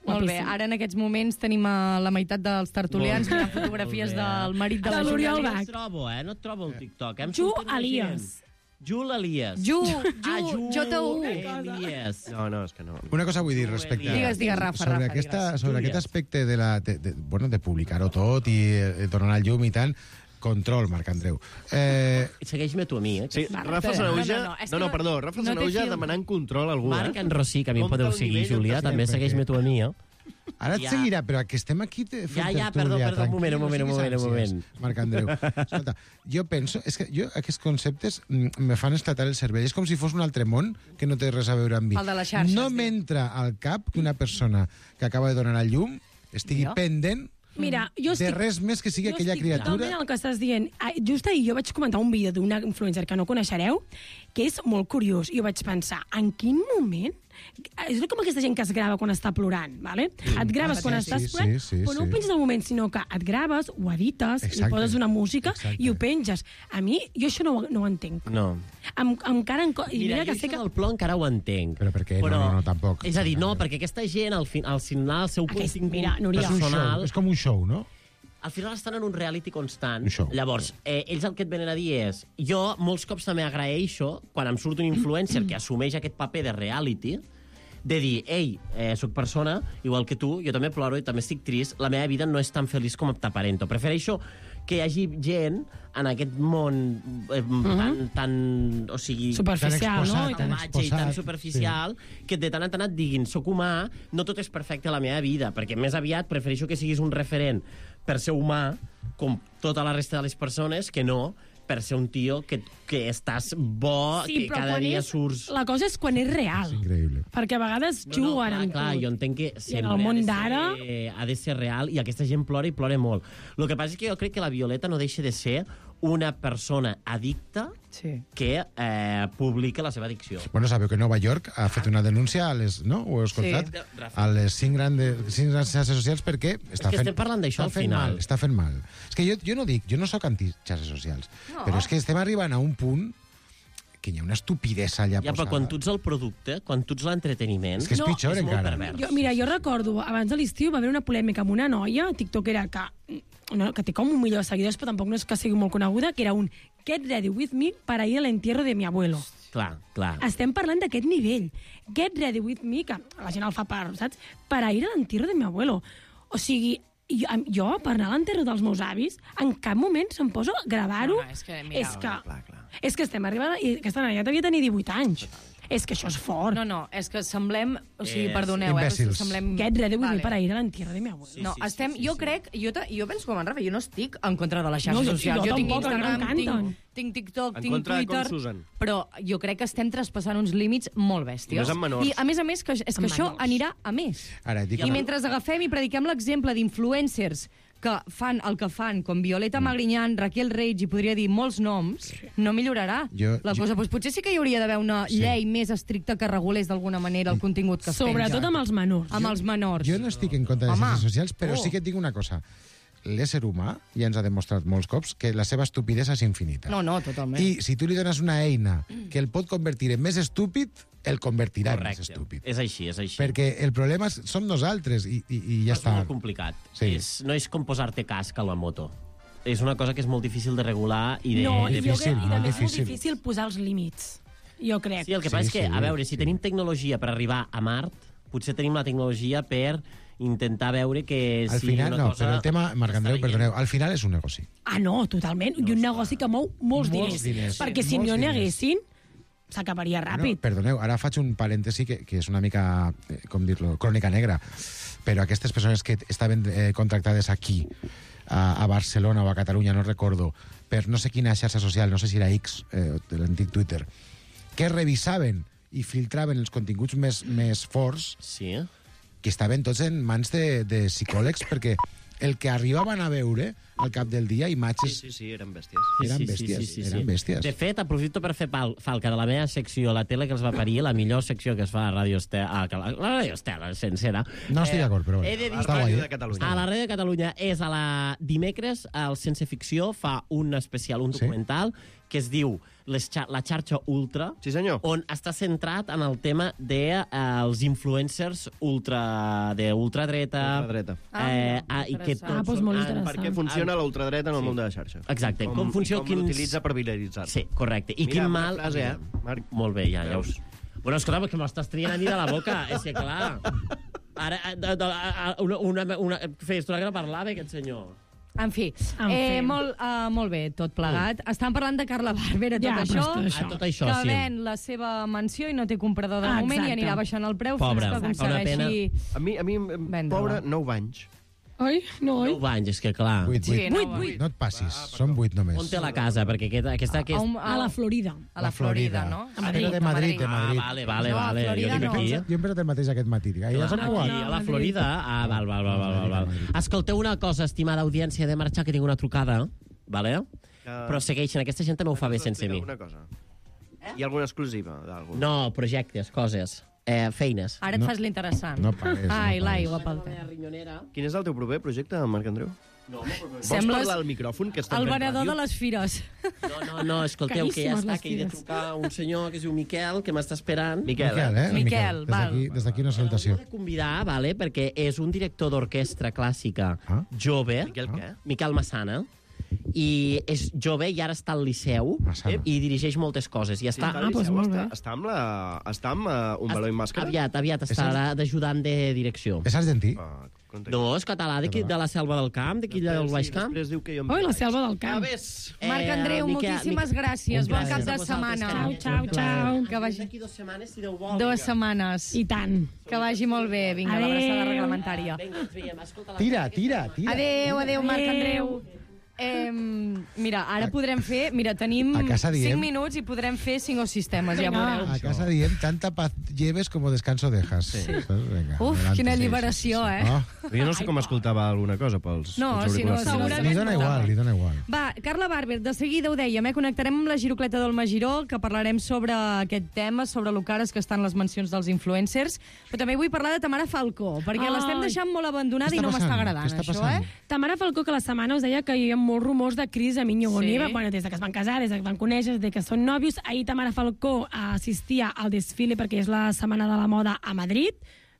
Molt bé, Guapíssim. ara en aquests moments tenim a la meitat dels tertulians mirant fotografies Molt bé. del marit de De la l'Oriol Júlia. Bach. No et trobo, eh? No et trobo el TikTok. Eh? Em Ju surten la Elias. gent. Jul Elias. Ju, Ah, Ju, Ju J U. Elias. No, no, és que no. Una cosa vull dir respecte a... Digues, digues, Rafa, sobre Rafa, aquesta, digues. sobre Digues. aquest aspecte de, la, de, de, bueno, de publicar-ho tot i eh, donar el llum i tant, control, Marc Andreu. Eh, Segueix-me tu a mi, eh? Sí, Vale, Rafa però- Sanauja... no, no, és No, que no, no- perdó, Rafa no té Sanauja filtre. demanant control a algú, Marc eh? en Rossi, que a mi em Compte podeu el seguir, nivell on Júlia, estem, també perquè- segueix-me tu a mi, eh? ara et Ja. seguirà, però que estem aquí te- fent Ja, ja, perdó, tertúlia, perdó, un moment, un tranquil, moment, no un moment, un siguis moment. ànsies, Marc Andreu. Escolta, jo penso... És que jo, aquests conceptes mm, me fan esclatar el cervell. És com si fos un altre món que no té res a veure amb mi. El de les xarxes, no diu. m'entra al cap que una persona que acaba de donar el llum estigui Mira. pendent Mira, jo de estic... res més que sigui jo aquella estic criatura. totalment el que estàs dient. Ah, Just ahir jo vaig comentar un vídeo d'una influencer que no coneixereu, que és molt curiós. Jo vaig pensar, en quin moment... És com aquesta gent que es grava quan està plorant, ¿vale? Mm. Et graves Ah, quan sí, estàs sí, plorant, sí, sí, però no ho sí. penses al moment, sinó que et graves, ho edites, li Exacte. poses una música Exacte. i ho penges. A mi, jo això no, ho- no ho entenc. No. Em, encara... En, I Mira, mira, jo que sé això que... del plor encara ho entenc. Però per què? No, no, no, tampoc. És a dir, no, perquè aquesta gent, al, fin, al final, el seu Aquest- contingut mira, Núria. És un show, personal... és com un show, no? Al final estan en un reality constant. Un show. Llavors, eh, ells el que et venen a dir és... Jo molts cops també agraeixo quan em surt un influencer que assumeix aquest paper de reality, de dir, ei, eh, soc persona, igual que tu, jo també ploro i també estic trist, la meva vida no és tan feliç com t'aparento. Prefereixo que hi hagi gent en aquest món eh, tan, tan... O sigui... Superficial, Tan no? I exposat, tan... tan salvatge i tan exposat, superficial sí. que de tant en tant et diguin soc humà, no tot és perfecte a la meva vida, perquè més aviat prefereixo que siguis un referent per ser humà, com tota la resta de les persones, que no per ser un tio que, que estàs bo, que però cada quan dia és, surts... La cosa és quan és real. És increïble. Perquè a vegades No, no, juguen clar, amb clar, tu. jo entenc que I en sempre el món ha de d'ara... ser- ha de ser real i aquesta gent plora i plora molt. El que passa és que jo crec que la Violeta no deixa de ser una persona addicta Sí. que eh, publica la seva addicció. Bueno, sabeu que Nova York ha fet una denúncia a les, no? Ho heu escoltat? Sí. Rafa. A les cinc, gran de, cinc grans xarxes socials perquè està que fent, estem parlant d'això està al fent final. Mal, està fent mal. És que jo, jo no dic, jo no sóc anti-xarxes socials, no. però és que estem arribant a un punt que hi ha una estupidesa allà Ja, però posada. quan tu ets el producte, quan tu ets l'entreteniment... És que és No, pitjor és molt encara. pervers. Jo, mira, jo recordo, abans de l'estiu va haver una polèmica amb una noia, tiktokera, que, no, que té com un milió de seguidors, però tampoc no és que sigui molt coneguda, que era un Get ready with me para ir al entierro de mi abuelo. Clar, clar. Estem parlant d'aquest nivell. Get ready with me, que la gent el fa per, saps? Para ir al entierro de mi abuelo. O sigui, jo, jo per anar a l'enterro dels meus avis, en cap moment se'm posa a gravar-ho. No, no, és que, mira, és que, clar, clar. és que estem arribant... I aquesta noia devia tenir divuit anys. És que això és fort. No, no, és que semblem... O sigui, És perdoneu, eh? imbècils. Semblem... Get ready with me para ir a l'entierro de mi abuelo. Sí, No, sí, sí, estem... sí, jo sí. crec... Jo, ta- jo penso com en Rafa, jo no estic en contra de les xarxes No, jo- socials. jo Jo tinc tampoc, Instagram, m'encanten. tinc, tinc TikTok, En tinc contra de com Twitter... s'usen. Però jo crec que estem traspassant uns límits molt bèsties. I més amb menors. I, a més a més, que, és que Amb això menors. anirà a més. Ara, dic, I mentre agafem i prediquem l'exemple d'influencers que fan el que fan, com Violeta Mm. Magriñán, Raquel Reig, i podria dir molts noms, no millorarà Jo- la jo- cosa. Doncs potser sí que hi hauria d'haver una Sí. llei més estricta que regulés d'alguna manera el contingut que es Sobretot penja. amb els menors. Amb els menors. jo no estic en contra de les Home. xarxes socials, però Oh. sí que et dic una cosa. L'ésser humà ja ens ha demostrat molts cops que la seva estupidesa és infinita. No, no, totalment. I si tu li dones una eina que el pot convertir en més estúpid, el convertirà en més Correcte. estúpid. És així, és així. Perquè el problema és- som nosaltres i, i, i ja és està. molt complicat. Sí. És, no és com posar-te casc a la moto. És una cosa que és molt difícil de regular i de... No, de i jo difícil, crec, i molt també és molt difícil. difícil posar els límits. Jo crec. Sí, el que Sí, passa és que, sí, a veure, si sí. tenim tecnologia per arribar a Mart, potser tenim la tecnologia per intentar veure que Al si final, una no, cosa... però el tema, Marc Andreu, està perdoneu, al final és un negoci. Ah, no, totalment. I un negoci que mou molts, Molts diners. diners. Perquè Sí, si molts no n'hi diners. haguessin, s'acabaria Bueno, ràpid. perdoneu, ara faig un parèntesi que, que és una mica, eh, com dir-lo, crònica negra, però aquestes persones que estaven eh, contractades aquí, a, a Barcelona o a Catalunya, no recordo, per no sé quina xarxa social, no sé si era X, eh, de l'antic Twitter, que revisaven i filtraven els continguts més, més forts, Sí. que estaven tots en mans de, de psicòlegs, perquè el que arribaven a veure al cap del dia, imatges... Sí, sí, sí, eren bèsties. Eren bèsties, eren bèsties. De fet, aprofito per fer pal, falca de la meva secció, la tele que els va parir, la millor secció que es fa a Ràdio Estela, a la, la Ràdio Estela, sencera. No estic d'acord, però... He de dir està guai, Ràdio de eh? Catalunya. A la Ràdio de Catalunya és a la dimecres, al Sense Ficció, fa un especial, un Sí? documental, que es diu les xa La xarxa ultra, Sí, senyor. on està centrat en el tema dels de, eh, els influencers ultra, de ultradreta. Ultradreta. Ah, eh, mira, ah, i que interessant. tots, Ah, doncs molt han- interessant. Per què funciona la ultradreta en el Sí. món de la xarxa. Exacte, com, com funciona... i com l'utilitza per viralitzar-se. Sí, correcte. I Mira, quin bona mal... frase, eh, Marc? Molt bé, ja, ja us... Bueno, escolta, que m'estàs trient a mi de la boca, és que clar... Ara, eh, de, de, a- una, una, una, feia estona que no parlava, aquest senyor. En fi, En eh, fi. molt, uh, molt bé, tot plegat. Estan parlant de Carla Bàrbera, tot Ja, però això, tot això. Ah, tot això, que sí. ven la seva mansió i no té comprador de Ah, moment i exacte. anirà baixant el preu Pobre, fins que una aconsegueixi... A mi, a mi em- Vendre-la. pobre, nou anys. Oi? No, oi? Nou anys, és que clar... Vuit, Sí, vuit. no, Vuit, va. vuit. No et passis, són vuit només. On té la casa? Perquè aquesta... aquesta, A, aquesta... un, A la Florida. a la Florida, no? A Madrid. de Madrid, de Ah, Madrid. vale, vale, No, a vale. Jo Florida dic no. aquí. Jo hem pensat el mateix aquest matí. Dic, ja som Aquí, igual. a la Florida? Ah, val, val, val, val, val, val. Escolteu una cosa, estimada audiència, de marxar, que tinc una trucada, vale? Però segueixen, aquesta gent també ho fa bé sense mi. Alguna cosa. Hi ha alguna exclusiva d'algú? No, projectes, coses, eh, feines. Ara et No. fas l'interessant. No pagues, no Ai, pagues. l'aigua pel te. Quin és el teu proper projecte, Marc Andreu? No, Vols Sembles parlar al micròfon, que estem el fent venedor ràdio? de les fires. no, no, no, escolteu, que ja Caríssimes està, les que he de fires. trucar a un senyor que es diu Miquel, que m'està esperant. Miquel, Miquel, eh? eh? Miquel, Des val. d'aquí- Des d'aquí una salutació. L'he de convidar, vale, perquè és un director d'orquestra clàssica Ah. jove, Miquel què? Miquel Massana, i és jove i ara està al Liceu Massana. i dirigeix moltes coses. I està... Ah, doncs molt bé. Està, està amb, la, està amb uh, un baló i màscara? Aviat, aviat estarà d'ajudant de direcció. És argentí? Ah, conta- No, és català, d'aquí de la selva del camp, d'aquí del Baix Sí, Camp. Després diu que jo em Oi, la vaig. selva del Ah, camp. ves. Marc Andreu, Miquel- moltíssimes Miquel- gràcies. Un Bon plaer. cap de A vosaltres, setmana. carinyo. Ciao, ciao. Que vagi... D'aquí dues setmanes, si Déu vol. Dues setmanes. I tant. Que vagi molt bé. Vinga, Adéu. l'abraçada reglamentària. Vinga, ens veiem. Escolta la... Tira, tira, tira. Adéu, adéu, Marc Adéu. Andreu. Eh, mira, ara podrem fer... Mira, tenim A casa diem- cinc minuts i podrem fer cinc o sis temes, ja Vinga. veureu. A casa diem, tanta paz lleves como descanso dejas. Sí. Venga, Uf, adelante. quina Sí, sí, alliberació, sí, sí. eh? Ah. Jo no sé com escoltava alguna cosa pels, No, pels si no, auriculars. si no, Segurament Li dona igual, li dona igual. Va, Carla Barber, de seguida ho dèiem, eh? Connectarem amb la Girocleta del Magiró, que parlarem sobre aquest tema, sobre lo cares que estan les mencions dels influencers, però també vull parlar de Tamara Falcó, perquè Ai. l'estem deixant molt abandonada Què i està no m'està passant? agradant, Què està això, passant? eh? Tamara Falcó, que la setmana us deia que hi havia molts rumors de crisi a Miño Boniva, Sí. bueno, des de que es van casar, des de que es van conèixer, des de que són nòvios. Ahir Tamara Falcó assistia al desfile perquè és la Setmana de la Moda a Madrid,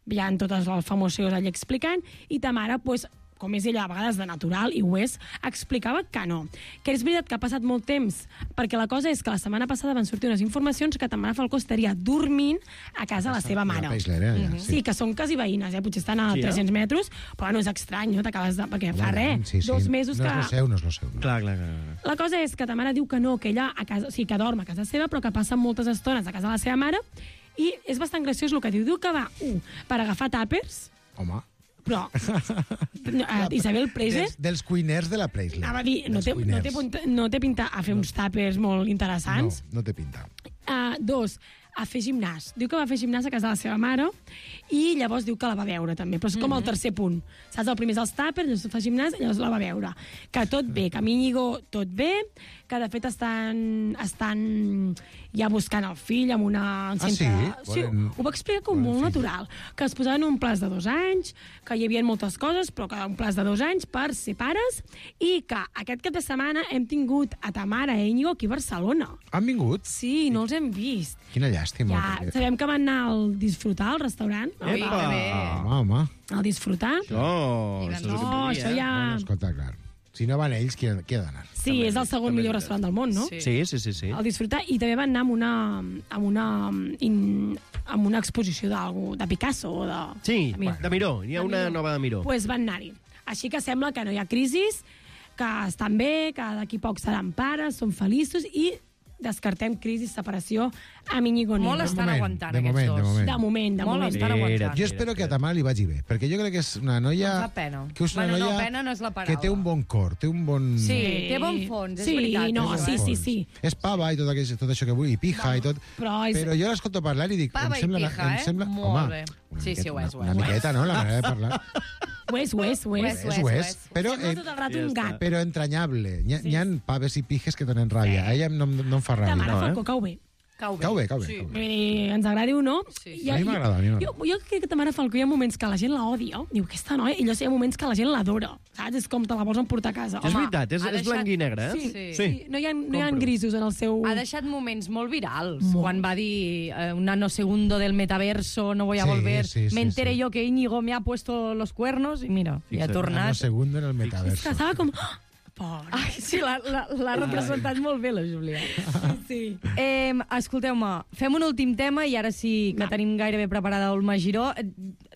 hi ha totes els famosos allà explicant, i Tamara, pues, com és ella a vegades de natural, i ho és, explicava que no. Que és veritat que ha passat molt temps, perquè la cosa és que la setmana passada van sortir unes informacions que Tamara Falcó estaria dormint a casa de la seva mare. A Paisler, eh, allà, Mhm. Sí, que són quasi veïnes, eh? Potser estan a Sí, eh? tres-cents metres, però no és estrany, no? T'acabes de... perquè fa res, Sí, sí. dos mesos no que... és lo seu, no és lo seu. No. Clar, clar, clar. clar. La cosa és que Tamara diu que no, que ella a casa, o sigui, que dorm a casa seva, però que passa moltes estones a casa de la seva mare, i és bastant graciós el que diu. Diu que va, un, per agafar tàpers, Home. però uh, Isabel Preise Dels, dels cuiners de la Preisler. anava a dir, no Dels té, no, té, cuiners. punta- no té pinta a fer uns tàpers molt interessants. No, no té pinta. Uh, dos, a fer gimnàs. Diu que va fer gimnàs a casa de la seva mare i llavors diu que la va veure també, però és com el tercer punt. Saps, el primer és els tàpers, llavors fa gimnàs i llavors la va veure. Que tot bé, que a Íñigo tot bé, que de fet estan, estan ja buscant el fill amb una... Ah, sí? sí Volen- ho va explicar com volen molt fill. natural. Que es posaven un plaç de dos anys, que hi havia moltes coses, però que un plaç de dos anys per ser pares, i que aquest cap de setmana hem tingut a Tamara i Íñigo aquí a Barcelona. Han vingut? Sí, no els hem vist. Quina llàstima. Ja, perquè- sabem que van anar al Disfrutar, al restaurant. Ui, Epa! que bé. Home, home. Al Disfrutar. Oh, Vinga, això és el No, que volia, això eh? ja... Bueno, escolta, clar. Si no van ells, qui, ha- qui ha d'anar? Sí, és el segon millor restaurant del món, no? Sí. Sí, sí, sí, sí. Al Disfrutar. I també van anar amb una, amb una, in, amb una exposició d'algú, de Picasso o de... Sí, Mira. de Miró. Hi ha De una Miró. nova de Miró. Pues van anar-hi. Així que sembla que no hi ha crisis, que estan bé, que d'aquí poc seran pares, són feliços i descartem crisi, separació amb Íñigo Nieva. Molt estan moment, aguantant de aquests moment, de dos. moment. De moment, de Molt moment. estan aguantant. Jo espero que a Tamara li vagi bé, perquè jo crec que és una noia... Em fa pena. Que és una Bueno, no, noia pena no és la que paraula. té un bon cor, té un bon... Sí, té bon fons, és sí, veritat. no, això, sí, eh? sí, sí. És pava i tot, aquest, tot això que vull, i pija i tot. Però és- Però jo l'escolto parlar i dic... Pava em i sembla, pija, em eh? sembla, Molt home, bé. Una Sí, sí, miqueta, ho és, ho una, és, una ho és. miqueta, no?, la manera de parlar. Ho és, ho és, ho és. Ho és, ho ho és. és. Però, Sembla eh, tot el rato un gat. però entranyable. N'hi ha, n'hi ha paves i pijes que donen ràbia. A ella no, em- no em fa ràbia. Tamara No, Falcó cau bé. Cau bé. Cau bé, cau bé. Sí. Cau bé. Vull dir, ens agradi o no. Sí, hi ha- A mi m'agrada, a mi m'agrada. Jo, jo crec que Tamara Falcó hi ha moments que la gent la odia. Diu, aquesta noia, i llavors hi ha moments que la gent l'adora. Saps? És com te la vols emportar a casa. És Home, veritat, és, ha és deixat- blanc i negre, eh? Sí, Sí. sí. No hi ha, no hi ha Compro. grisos en el seu... Ha deixat moments molt virals. Molt. Quan va dir eh, un nanosegundo del metaverso, no voy a Sí, volver. sí, sí, Me enteré sí. yo que Íñigo me ha puesto los cuernos i mira, i ha Fixa't. Un tornat. segundo en el És metaverso. que estava com... "Ah, Pobre. Ai, sí, l'ha l'ha- l'ha representat molt bé, la Júlia. Sí. Eh, Escolteu-me, fem un últim tema i ara sí que tenim gairebé preparada Olma Giró. Eh,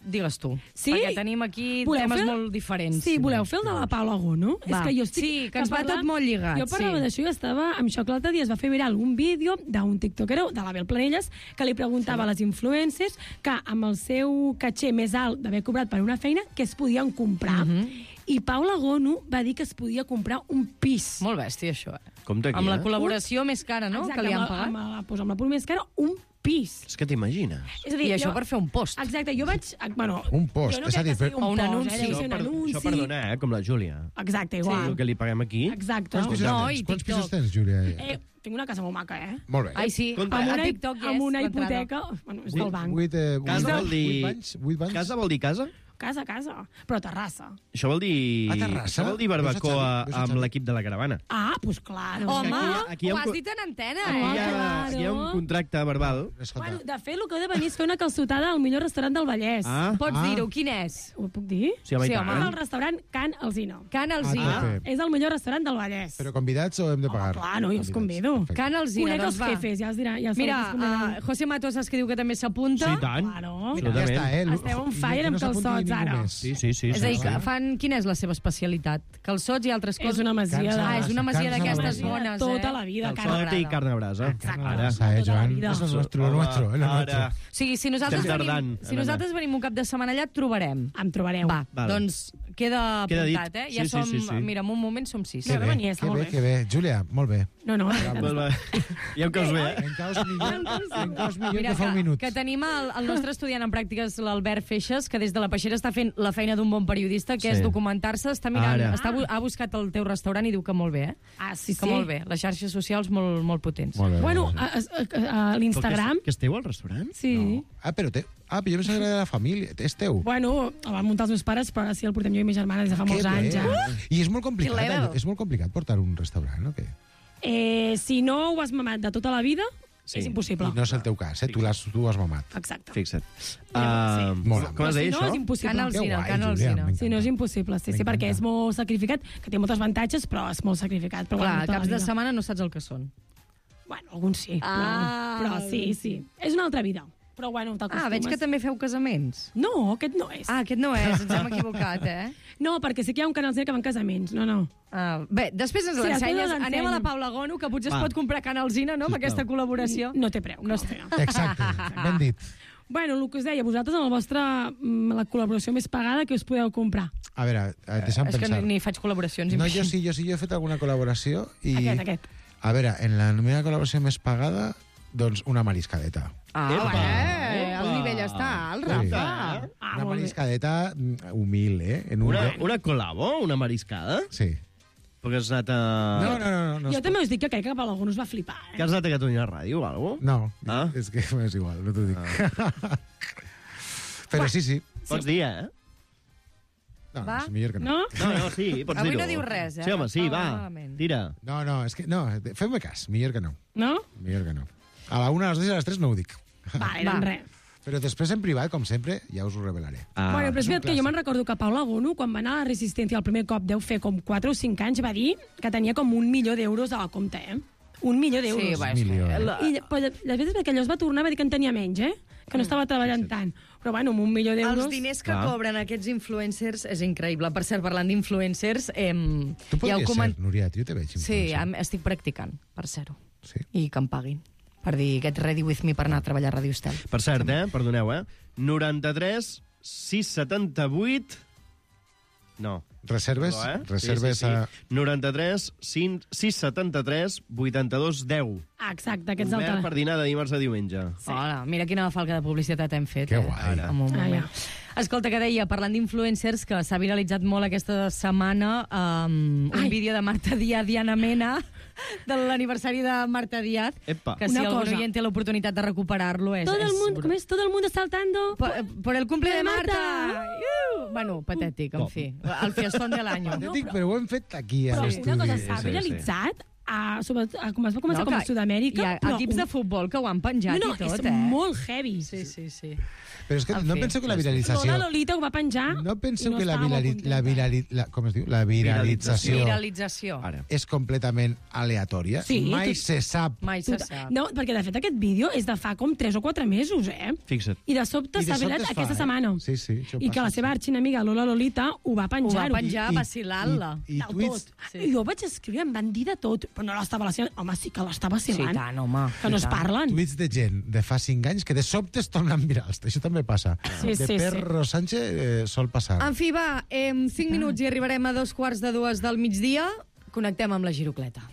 Digues tu, Sí? perquè tenim aquí Voleu temes fer- molt diferents. Sí, voleu fer el de la Paula Gono? Va. És que jo estic... Sí, que ens va tot molt lligat, Jo parlava sí. d'això i estava amb això que l'altre dia es va fer viral un vídeo d'un tiktokero, de l'Abel Planelles, que li preguntava a les influencers que amb el seu caché més alt d'haver cobrat per una feina, què es podien comprar. Mhm. I Paula Gono va dir que es podia comprar un pis. Molt bèstia, això. Eh? Compte aquí, Amb la eh? col·laboració més cara, no?, Exacte, que li han amb la- pagat. Amb la, doncs amb la pul més cara, un pis. És que t'imagines. És a I això per fer un post. Exacte, jo vaig... Bueno, Un post, jo no és a crec dir, que sigui per- O un post, anunci. Eh? Deu Això ser un per, anunci. això per donar, eh? Com la Júlia. Exacte, El igual. que li paguem aquí. Exacte. Quants pisos No, tens? i Quants TikTok. pisos tens, Júlia? Eh, tinc una casa molt maca, eh? Molt bé. Ai, sí, Compte. Amb a una, TikTok amb una l'entrada. hipoteca... Bueno, és del banc. Vuit, eh, Casa vuit- vol dir... Vuit banys? Vuit banys? Casa vol dir casa? Casa, casa. Però terrassa. Això vol dir... A Terrassa? Això vol dir Veus a barbacoa Xavi? Veus a amb Xavi? l'equip de la caravana. Ah, doncs clar. No. Home, Aquí hi ha- aquí hi ha ho un has co- dit en antena, Home, Hi eh? ha, claro. hi ha un contracte verbal. Escolta, Bueno, de fet, el que heu de venir és fer una calçotada al millor restaurant del Vallès. Ah, Pots Ah. dir-ho, quin és? Ho puc dir? sí, home, Sí, i home. És tant. el restaurant Can Alzina. Can Ah, Alzina. tope. És el millor restaurant del Vallès. però convidats o hem de pagar? clar, no, jo els Convidats, convido. perfecte. Can Alzina, Conec doncs els va. jefes, ja els dirà. Ja els Mira, els convidaré. uh, José Matos saps que diu que també s'apunta. Sí, i tant. Claro. Ja Absolutament. està, eh? Esteu on I fire que amb no s'apunti calçots, ningú ara. més. Sí, sí, sí. És a dir, sí, que sí. fan... Quina és la seva especialitat? Calçots i altres coses? És una masia de... Ah, és una masia Carns a la d'aquestes brasa. bones, Tota eh? la vida, Calçot cara. i carn a brasa. Exacte. Ara. Esa, eh, Tota la Joan? vida. És lo nuestro, lo nuestro, eh, lo nuestro. Ara. O sigui, si nosaltres, Estem venim, tardant, si Elena. nosaltres venim un cap de setmana allà, et trobarem. Em trobareu. Va, Val. doncs queda Queda dit. apuntat, eh? Ja Sí, sí, som... sí, sí. Mira, en un moment som sis. Que Que bé, bé, venia, que està molt bé, bé. que bé. Júlia, molt bé. No, no, Molt bé. Ja em caus bé, eh? En caus millor, en caus millor Mira, que fa un que, minut. que tenim el, el nostre estudiant en pràctiques, l'Albert Feixes, que des de la Peixera està fent la feina d'un bon periodista, que Sí. és documentar-se, està mirant, Ara. està, bu- ha buscat el teu restaurant i diu que molt bé, eh? Ah, sí, Que sí. molt bé. Les xarxes socials molt, molt potents. Molt bé. Bueno, molt bé. a, a, a, a l'Instagram... Que esteu al restaurant? Sí. Ah, però té... Ah, però jo pensava que era de la família. És teu. Bueno, el van muntar els meus pares, però ara sí el portem jo i ma germana des de fa Que molts bé. anys. Ja. I és molt complicat, Que level. allò, és molt complicat portar un restaurant, o què? Eh, si no ho has mamat de tota la vida, Sí. és impossible. I no és el teu cas, eh? Tu l'has tu ho has mamat. Exacte. Fixa't. Sí. Uh, Mola. com has si dit, no, això? és impossible. Can Alzina, Que guai, Can Júlia, Alzina. m'encanta. Si no, és impossible, sí, sí, M'encanta. perquè és molt sacrificat, que té molts avantatges, però és molt sacrificat. Però Clar, bueno, tota la caps de vida. setmana no saps el que són. Bueno, alguns sí, Ah. però, però sí, sí. És una altra vida. Però bueno, t'acostumes. Ah, veig que també feu casaments. No, aquest no és. Ah, aquest no és, ens hem equivocat, eh? No, perquè sí que hi ha un canal que van casaments. No, no. Ah, bé, després ens Sí, després l'ensenyes. us l'ensenyo. Anem a la Paula Gono, que potser Va. es pot comprar Can Alzina, no?, amb aquesta col·laboració. No té preu. No No està- té. Exacte, ben dit. Bueno, el que us deia, vosaltres en la vostra mm, la col·laboració més pagada que us podeu comprar. A veure, eh, deixa'm És que pensar. ni, ni faig col·laboracions. No, jo imagina't. sí, jo sí, jo he fet alguna col·laboració i... Aquest, aquest. A veure, en la meva col·laboració més pagada, doncs una mariscadeta. Ah, Epa, bé, el epa. nivell està alt, Sí. Rafa. Ah, Una molt bé. mariscadeta mm, humil, eh? En un Una, lloc- una colabo? Una mariscada? Sí. Perquè has anat a... No, no, no. no, no Jo es també us dic que crec que per algú us va flipar. Que Eh? has anat a Catalunya Ràdio o alguna cosa? No, Ah? és que és igual, no t'ho dic. Però sí, sí. Pots dir, eh? No, Va? és millor que no. No? No, no, sí, pots Avui dir-ho. no diu res, eh? Sí, home, sí, No, va, malament. tira. No, no, és que... No, feu-me cas, millor que no. No? Millor que no. A la una, a les dues i a les tres no ho dic. Vale, Va. doncs res. Però després en privat, com sempre, ja us ho revelaré. Ah, bueno, però és és un veritat que jo clàssic. me'n recordo que Paula Gono, quan va anar a la Resistència el primer cop, deu fer com quatre o cinc anys, va dir que tenia com un milió d'euros a la compte, eh? Un milió d'euros. Sí, va, és Milió, que... eh? La... I però després que allò es va tornar va dir que en tenia menys, eh? Que no estava treballant tant. Però bueno, amb un milió d'euros... Els diners que Clar. cobren aquests influencers és increïble. Per cert, parlant d'influencers, eh, Tu ja podries ho coment... ser, Núria, jo te veig. Sí, influencer. am- estic practicant, per ser-ho. Sí. I que em paguin. Per dir, get ready with me per anar a treballar a Ràdio Estel. Per cert, eh? Perdoneu, eh? noranta-tres sis setanta-vuit... No. Reserves? No, eh? Reserves sí, sí, sí. a... noranta-tres sis setanta-tres vuitanta-dos deu. Exacte, aquest és el Obert telèfon. per dinar de dimarts a diumenge. Sí. Hola, mira quina falca de publicitat hem fet. Que eh? guai. En un moment. Ah, ja. Escolta, que deia, parlant d'influencers, que s'ha viralitzat molt aquesta setmana um, un Ai. vídeo de Marta Díaz, Diana Mena, de l'aniversari de Marta Díaz, Epa. que si Una algun cosa. oient té l'oportunitat de recuperar-lo és... Todo el és mundo, com és? Todo el mundo saltando. Por, por el cumple de Marta! Marta. Uh! Bueno, patètic, en fi. El fiestón de l'any. Patètic, però ho hem fet aquí, a Però l'estudi. una cosa, s'ha sí, sí. viralitzat, a, sobre, a, com es va començar No, com a que Sud-amèrica. Hi ha però equips un- de futbol que ho han penjat no, no, i tot, és eh? molt heavy. Sí, sí, sí. Però és que En no fi. penseu que la viralització... Lola Lolita ho va penjar No penseu i no que la, estava molt virali... contenta. la, virali... la... Com es diu? La viralització Viralització. Ara. és completament aleatòria. Sí, Mai tu- se sap. Mai se Tota- sap. No, perquè de fet aquest vídeo és de fa com tres o quatre mesos, eh? Fixa't. I de sobte I de s'ha sobte virat es fa, aquesta eh? setmana. Sí, sí, això I que passa, la seva sí. arxinamiga Lola Lolita ho va Ho va penjar. penjar I- vacilant-la. I, i Del tuits... tot. I jo vaig escriure, em van dir de tot, però no l'estava vacilant. Home, sí que l'està vacilant. Sí, tant, home. Que no es parlen. Tuits de gent de fa cinc anys que de sobte es tornen virals. Això també passa. Sí, de sí, Perro Sánchez eh, sol passar. En fi, va, en cinc minuts i arribarem a dos quarts de dues del migdia. Connectem amb la girocleta.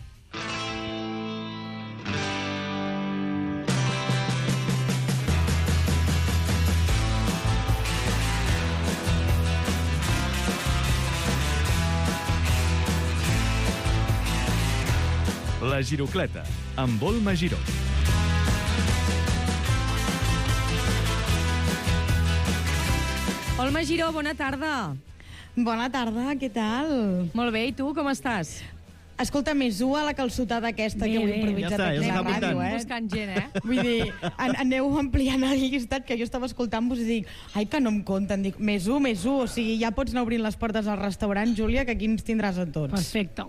La Girocleta, amb Volma Giró. Olma Giró, bona tarda. Bona tarda, què tal? Molt bé, i tu, com estàs? Escolta, més u a la calçotada aquesta Bé, que heu bé. improvisat Ja està, ja aquí a s'està la ràdio, apuntant. eh? Buscant gent, eh? Vull dir, an aneu ampliant el llistat, que jo estava escoltant-vos i dic, ai, que no em compten. Dic, més u, més u, o sigui, ja pots anar obrint les portes al restaurant, Júlia, que aquí ens tindràs a tots. Perfecte.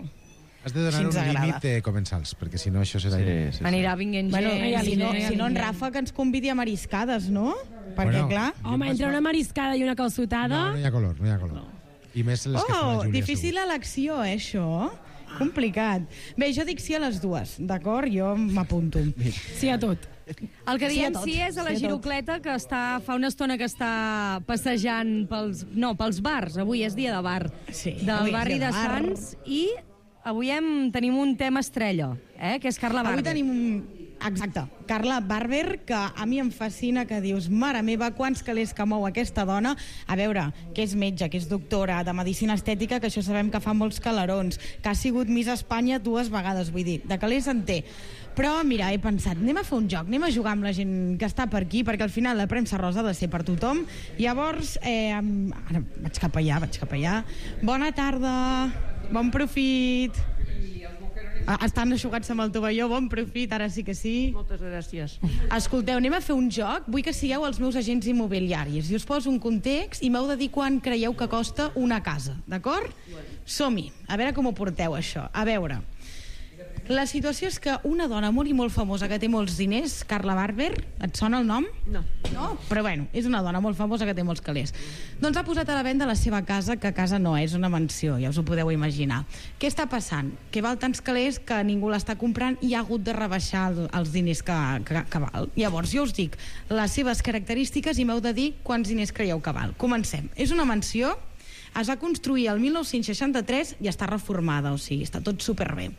Has de donar Si un ens agrada. límit de comensals, perquè si no això serà... Sí, sí. Anirà vinguent Bueno, gent. mira, si no, sí, si no en sí. Rafa que ens convidi a mariscades, no? Perquè, Bueno, clar... Home, entre una mariscada i una calçotada... No, no hi ha color, no hi ha color. I més les que fa la Oh, Júlia, difícil segur. elecció, eh, això? Complicat. Bé, jo dic sí a les dues, d'acord? Jo m'apunto. Sí a tot. El que Sí a diem tot, sí és a la sí a tot. girocleta, que està, fa una estona que està passejant pels, no, pels bars. Avui és dia de bar. Sí, avui del és barri dia de de bar. Sants. I avui hem, tenim un tema estrella, eh, que és Carla Barber. Avui tenim un... Exacte. Carla Barber, que a mi em fascina, que dius, mare meva, quants calés que mou aquesta dona. A veure, que és metge, que és doctora de Medicina Estètica, que això sabem que fa molts calarons, que ha sigut Miss Espanya dues vegades, vull dir, de calés en té. Però, mira, he pensat, anem a fer un joc, anem a jugar amb la gent que està per aquí, perquè al final la premsa rosa ha de ser per tothom. Llavors, eh, ara vaig cap allà, vaig cap allà. Bona tarda, bon profit. Ah, estan aixugats amb el tovalló, bon profit, ara sí que sí. Moltes gràcies. Escolteu, anem a fer un joc. Vull que sigueu els meus agents immobiliaris. I us poso un context i m'heu de dir quan creieu que costa una casa, d'acord? Som-hi. A veure com ho porteu, això. A veure... La situació és que una dona molt i molt famosa que té molts diners, Carla Barber, et sona el nom? No. No? Però bueno, és una dona molt famosa que té molts calés. Doncs ha posat a la venda la seva casa, que casa no és una mansió, ja us ho podeu imaginar. Què està passant? Que val tants calés que ningú l'està comprant i ha hagut de rebaixar el, els diners que, que, que val. Llavors, jo us dic les seves característiques i m'heu de dir quants diners creieu que val. Comencem. És una mansió, es va construir el mil nou-cents seixanta-tres i està reformada, o sigui, està tot superbé.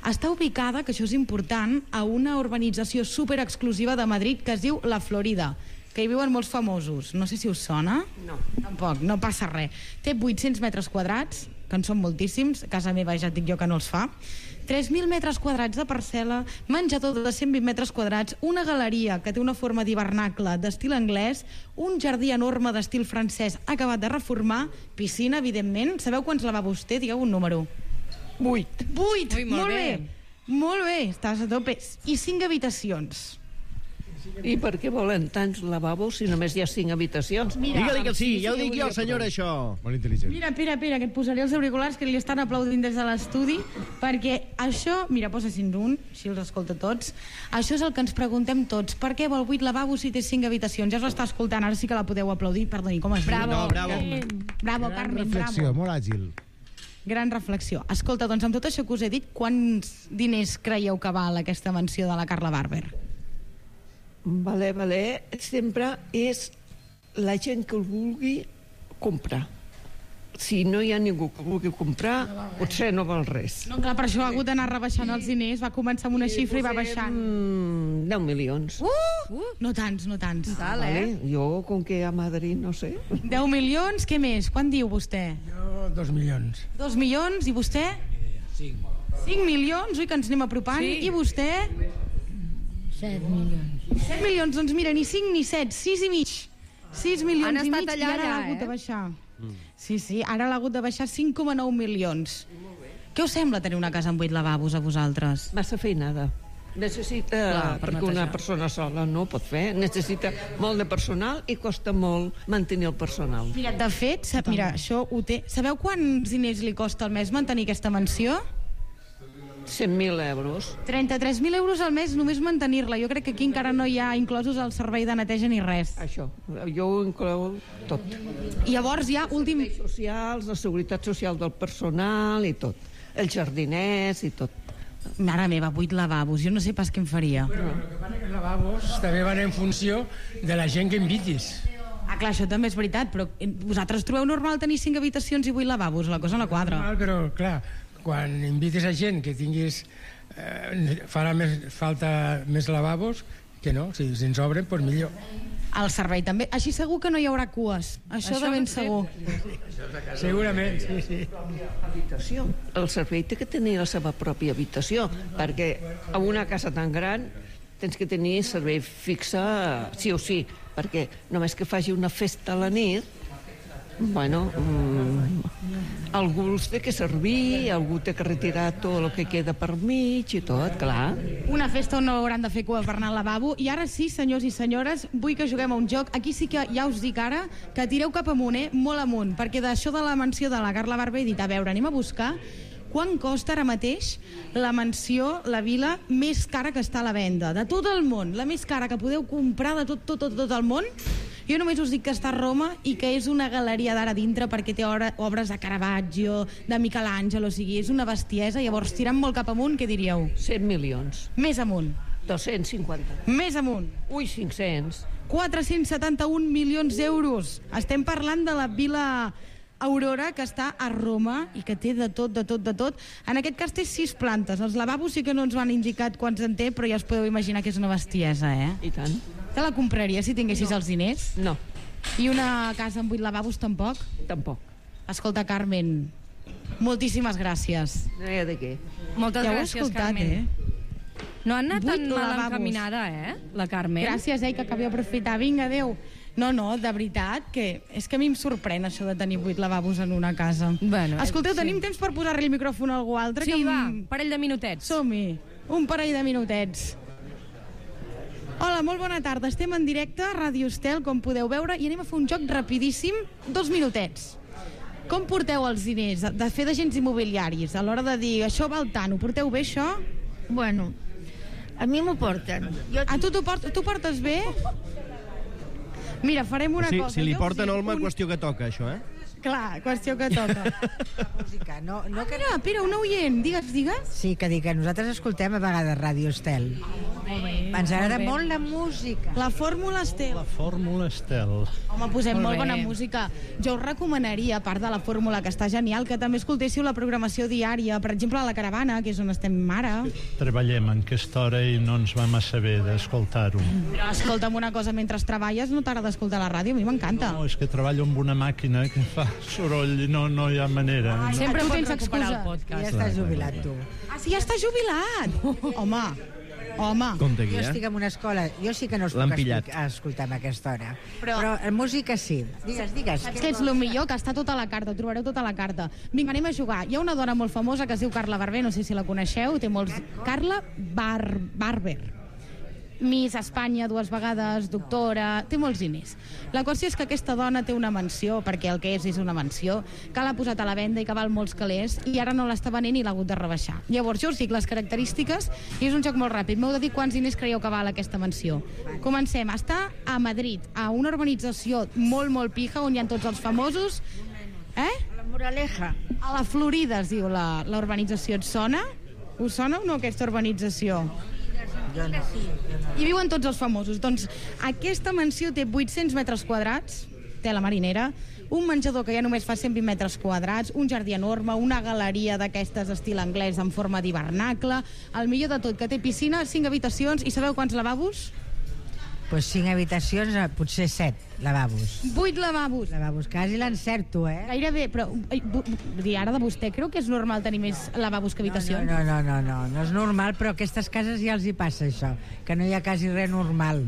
Està ubicada, que això és important, a una urbanització superexclusiva de Madrid que es diu La Florida, que hi viuen molts famosos. No sé si us sona. No. Tampoc, no passa res. Té vuit-cents metres quadrats, que en són moltíssims, a casa meva ja et dic jo que no els fa, tres mil metres quadrats de parcel·la, menjador de cent vint metres quadrats, una galeria que té una forma d'hivernacle d'estil anglès, un jardí enorme d'estil francès acabat de reformar, piscina, evidentment. Sabeu quants lavabos té? Digueu un número. Vuit. Vuit! Ui, molt molt bé. bé. Molt bé, estàs a tope. I cinc habitacions. I per què volen tants lavabos si només hi ha cinc habitacions? Digue-li que sí, ja ho dic jo, senyora, això. Molt intel·ligent. Mira, espera, espera, que et posaré els auriculars que li estan aplaudint des de l'estudi, perquè això, mira, posa-se'n un, així els escolta tots, això és el que ens preguntem tots, per què vol vuit lavabos si té cinc habitacions? Ja us l'està escoltant, ara sí que la podeu aplaudir, perdoni, com es diu? Bravo. No, bravo. Bravo, Gran Carmen, reflexió, bravo. molt àgil. Gran reflexió. Escolta, doncs amb tot això que us he dit, quants diners creieu que val aquesta mansió de la Carla Barber? Valer, valer, sempre és la gent que el vulgui comprar. Si no hi ha ningú que vulgui comprar, potser no val res. No, clar, per això ha hagut d'anar rebaixant els diners. Va començar amb una xifra i va baixant. Mm, deu milions. Uh! uh! No tants, no tants. Tal, eh? Vale. Jo, com que a Madrid, no sé. deu milions, què més? Quan diu vostè? Jo, dos milions. Dos milions, i vostè? Cinc. Cinc milions, ui, que ens anem apropant. Sí. I vostè? Set milions. Set milions, doncs mira, ni cinc ni set, sis i mig. Sis milions Han i estat mig allà, i ara ja, l'ha hagut eh? de baixar. Sí, sí, ara l'ha hagut de baixar cinc coma nou milions. Què us sembla tenir una casa amb vuit lavabos a vosaltres? Massa feinada. Necessita, Clar, per perquè una netejar. persona sola no ho pot fer, necessita molt de personal i costa molt mantenir el personal. Mira, de fet, sap, mira, això ho té... Sabeu quants diners li costa al mes mantenir aquesta mansió? cent mil euros. trenta-tres mil euros al mes només mantenir-la. Jo crec que aquí encara no hi ha inclosos el servei de neteja ni res. Això, jo ho inclou tot. I llavors ja, últim... Els socials, la seguretat social del personal i tot. Els jardiners i tot. Mare meva, vuit lavabos. Jo no sé pas què em faria. Bueno, el que passa que els lavabos també van en funció de la gent que invitis. Ah, clar, això també és veritat, però vosaltres trobeu normal tenir cinc habitacions i vuit lavabos? La cosa no quadra. Normal, però, clar, quan invites a gent que tinguis... Eh, farà més, falta més lavabos, que no, si, si ens obren, doncs millor. El servei també. Així segur que no hi haurà cues. Això, Això de ben segur. Segurament, sí, sí. Habitació. El servei té que tenir la seva pròpia habitació, perquè a una casa tan gran tens que tenir servei fixe sí o sí, perquè només que faci una festa a la nit, bueno, mmm, algú els té que servir, algú té que retirar tot el que queda per mig i tot, clar. Una festa on no hauran de fer cua per anar al lavabo. I ara sí, senyors i senyores, vull que juguem a un joc. Aquí sí que ja us dic ara que tireu cap amunt, eh? Molt amunt, perquè d'això de la mansió de la Carla Barber he dit, a veure, anem a buscar quant costa ara mateix la mansió, la vila més cara que està a la venda, de tot el món, la més cara que podeu comprar de tot, tot, tot, tot el món. Jo només us dic que està a Roma i que és una galeria d'ara dintre perquè té obres de Caravaggio, de Michelangelo, o sigui, és una bestiesa. Llavors, tirant molt cap amunt, què diríeu? cent milions. Més amunt. dos-cents cinquanta. Més amunt. Ui, cinc-cents. quatre-cents setanta-un milions d'euros. Estem parlant de la Vila Aurora, que està a Roma i que té de tot, de tot, de tot. En aquest cas té sis plantes. Els lavabos sí que no ens van indicat quants en té, però ja us podeu imaginar que és una bestiesa, eh? I tant. Te la compraries si tinguessis no. els diners? No. I una casa amb vuit lavabos tampoc? Tampoc. Escolta, Carmen, moltíssimes gràcies. No hi ha de què. Moltes ja gràcies, escoltat, Carmen. Eh? No han anat Vuit tan mal lavabos. encaminada, eh, la Carmen? Gràcies, eh, que acabi d'aprofitar. Vinga, adéu. No, no, de veritat, que és que a mi em sorprèn això de tenir vuit lavabos en una casa. Bueno, Escolteu, sí. tenim temps per posar-li el micròfon a algú altre? Sí, que va, em... parell de minutets. Som-hi, un parell de minutets. Hola, molt bona tarda. Estem en directe a Ràdio Estel, com podeu veure, i anem a fer un joc rapidíssim, dos minutets. Com porteu els diners de fer d'agents immobiliaris a l'hora de dir això val tant? Ho porteu bé, això? Bueno, a mi m'ho porten. Jo... A tu t'ho portes, tu portes bé? Mira, farem una sí, cosa. Si li Jo porten us dic Olma, un... qüestió que toca, això, eh? Clar, qüestió que toca. música, no, no ah, mira, Pere, un oient, digues, digues. Sí, que dic que nosaltres escoltem a vegades Ràdio Estel. Molt bé, Ens agrada molt, molt la música. La Fórmula Estel. La Fórmula Estel. Home, posem molt, Molt molt bé. bona música. Jo us recomanaria, a part de la Fórmula, que està genial, que també escoltéssiu la programació diària, per exemple, a la Caravana, que és on estem ara. Treballem en aquesta hora i no ens vam a saber d'escoltar-ho. Però escolta'm una cosa, mentre treballes no t'agrada escoltar la ràdio, a mi m'encanta. No, és que treballo amb una màquina que fa soroll i no, no hi ha manera. Ah, no. sempre Tu pots tens recuperar excusa. el podcast. Ja estàs jubilat, tu. Ah, sí, ja està jubilat? Home, home. Compte aquí, Jo eh? estic en una escola, jo sí que no es L'han puc pillat. escoltar, escoltar a aquesta hora. Però- Però, Però música sí. Digues, digues. Saps què és el millor? Que està tota la carta, ho trobareu tota la carta. Vinga, anem a jugar. Hi ha una dona molt famosa que es diu Carla Barber, no sé si la coneixeu, té molts... Carla Bar Barber. Miss Espanya dues vegades, doctora, té molts diners. La qüestió és que aquesta dona té una mansió, perquè el que és és una mansió, que l'ha posat a la venda i que val molts calés, i ara no l'està venent i l'ha hagut de rebaixar. Llavors, jo us dic les característiques, i és un joc molt ràpid. M'heu de dir quants diners creieu que val aquesta mansió. Comencem. Està a Madrid, a una urbanització molt, molt pija, on hi ha tots els famosos. Eh? Moraleja. A la Florida es diu la, la urbanització. Et sona? Us sona o no aquesta urbanització? Jo no. Hi viuen tots els famosos. Doncs aquesta mansió té vuit-cents metres quadrats, té la marinera, un menjador que ja només fa cent vint metres quadrats, un jardí enorme, una galeria d'aquestes estil anglès en forma d'hivernacle, el millor de tot, que té piscina, cinc habitacions, i sabeu quants lavabos? Pues cinc habitacions, potser set lavabos. Vuit lavabos. Lavabos, quasi l'encerto, eh? Gairebé, però ai, bu, bu, ara de vostè, creu que és normal tenir més lavabos que habitacions? No, no, no, no, no, no és normal, però a aquestes cases ja els hi passa això, que no hi ha quasi res normal.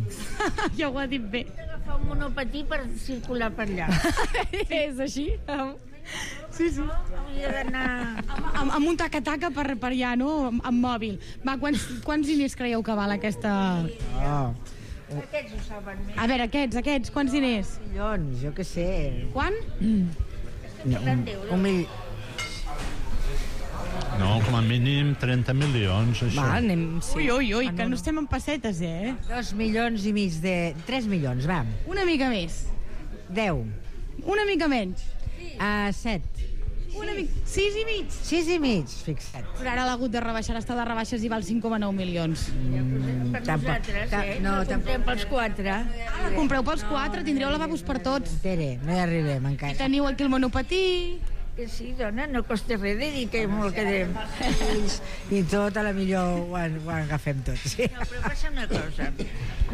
Ja ho ha dit bé. Agafar un monopatí per circular per allà. És així? Sí, sí. Hauria d'anar... Amb, amb un taca-taca per, per allà, no? Amb, amb mòbil. Va, quants, quants diners creieu que val aquesta... Oh. Aquests ho saben més. A veure, aquests, aquests, quants diners? Milions, jo què sé. Quan? No, un, un mil... No, com a mínim trenta milions, això. Va, anem... Sí. Ui, ui, ui, que no estem en pessetes, eh? Dos milions i mig de... Tres milions, va. Una mica més. Deu. Una mica menys. Uh, set. Una mica... Sis i mig. Sis i mig, fixa't. Però ara l'ha hagut de rebaixar, està de rebaixes i val cinc coma nou milions. Mm, Per nosaltres, eh? No, comprem pels quatre. Ah, la compreu pels quatre, tindreu lavabos per tots. Tere, no hi arribem encara. I teniu aquí el monopatí. Que sí, dona, no costa res de dir que molt quedem. I tot, a la millor ho, ho agafem tot, sí. No, però passa una cosa.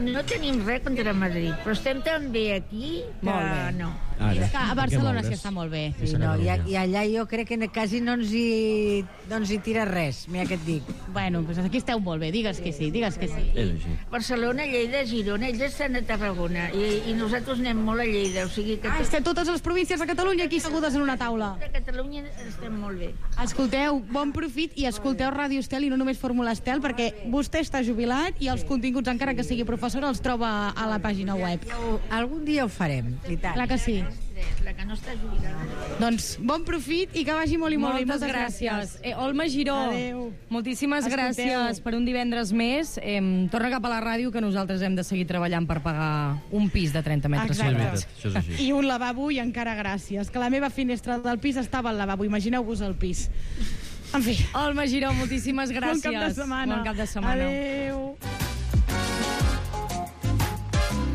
No tenim res contra Madrid, però estem tan bé aquí que Molt bé. no. És que a Barcelona s'hi està molt bé. Sí, no, i, I allà jo crec que quasi no ens hi, no ens hi tira res, mira què et dic. Bueno, doncs aquí esteu molt bé, digues que sí, digues que sí. És així. Barcelona, Lleida, Girona, ells estan a Tarragona i, i nosaltres anem molt a Lleida, o sigui que... Ah, és que totes les províncies de Catalunya aquí segudes en una taula. A Catalunya estem molt bé. Escolteu, bon profit i escolteu Ràdio Estel i no només Fórmula Estel, perquè vostè està jubilat i els continguts, encara que sigui professora, els troba a la pàgina web. Algun dia ho farem, i tant. Clar que sí. La que no està jubilada. Doncs bon profit i que vagi molt i molt Moltes bé. Moltes gràcies. Eh, Olma Giró, Adéu. moltíssimes Escolteu. gràcies per un divendres més. Eh, torna cap a la ràdio, que nosaltres hem de seguir treballant per pagar un pis de trenta metres Exacte. quadrats. Això és així. I un lavabo i encara gràcies, que la meva finestra del pis estava al lavabo, imagineu-vos el pis. En fi. Olma Giró, moltíssimes gràcies. Bon cap de setmana. Bon cap de setmana. Adéu.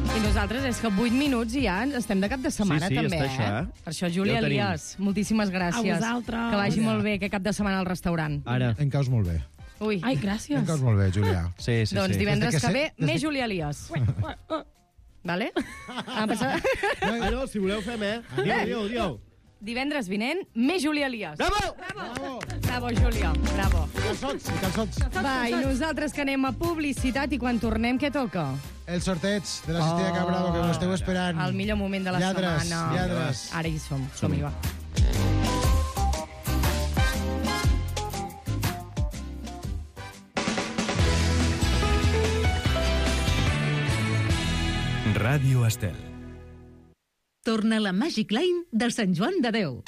I nosaltres és que vuit minuts i ja estem de cap de setmana, Sí, sí, també, està això, eh? eh? Per això, Júlia Ja ho tenim. Elias, moltíssimes gràcies. A vosaltres. Que vagi molt bé aquest cap de setmana al restaurant. Ara. Em caus molt bé. Ui. Ai, gràcies. Em caus molt bé, Julià. Sí, sí, Doncs sí. divendres Des de que que ve, sé- des de- més Júlia Elias. Vale? Ah, passa... Ah, no, si voleu fem, eh? Diu, diu, diu. Divendres vinent, més Júlia Elias. Bravo! Bravo! Bravo, Júlia. Bravo. Calçots, i calçots. Va, i nosaltres que anem a publicitat i quan tornem, què toca? El sorteig de la Cistella Cabrado, que m'esteu esperant. El millor moment de la lladres, setmana. Lladres, Ara hi som. Som-hi, va. Ràdio Estel. Torna la Magic Line del Sant Joan de Déu.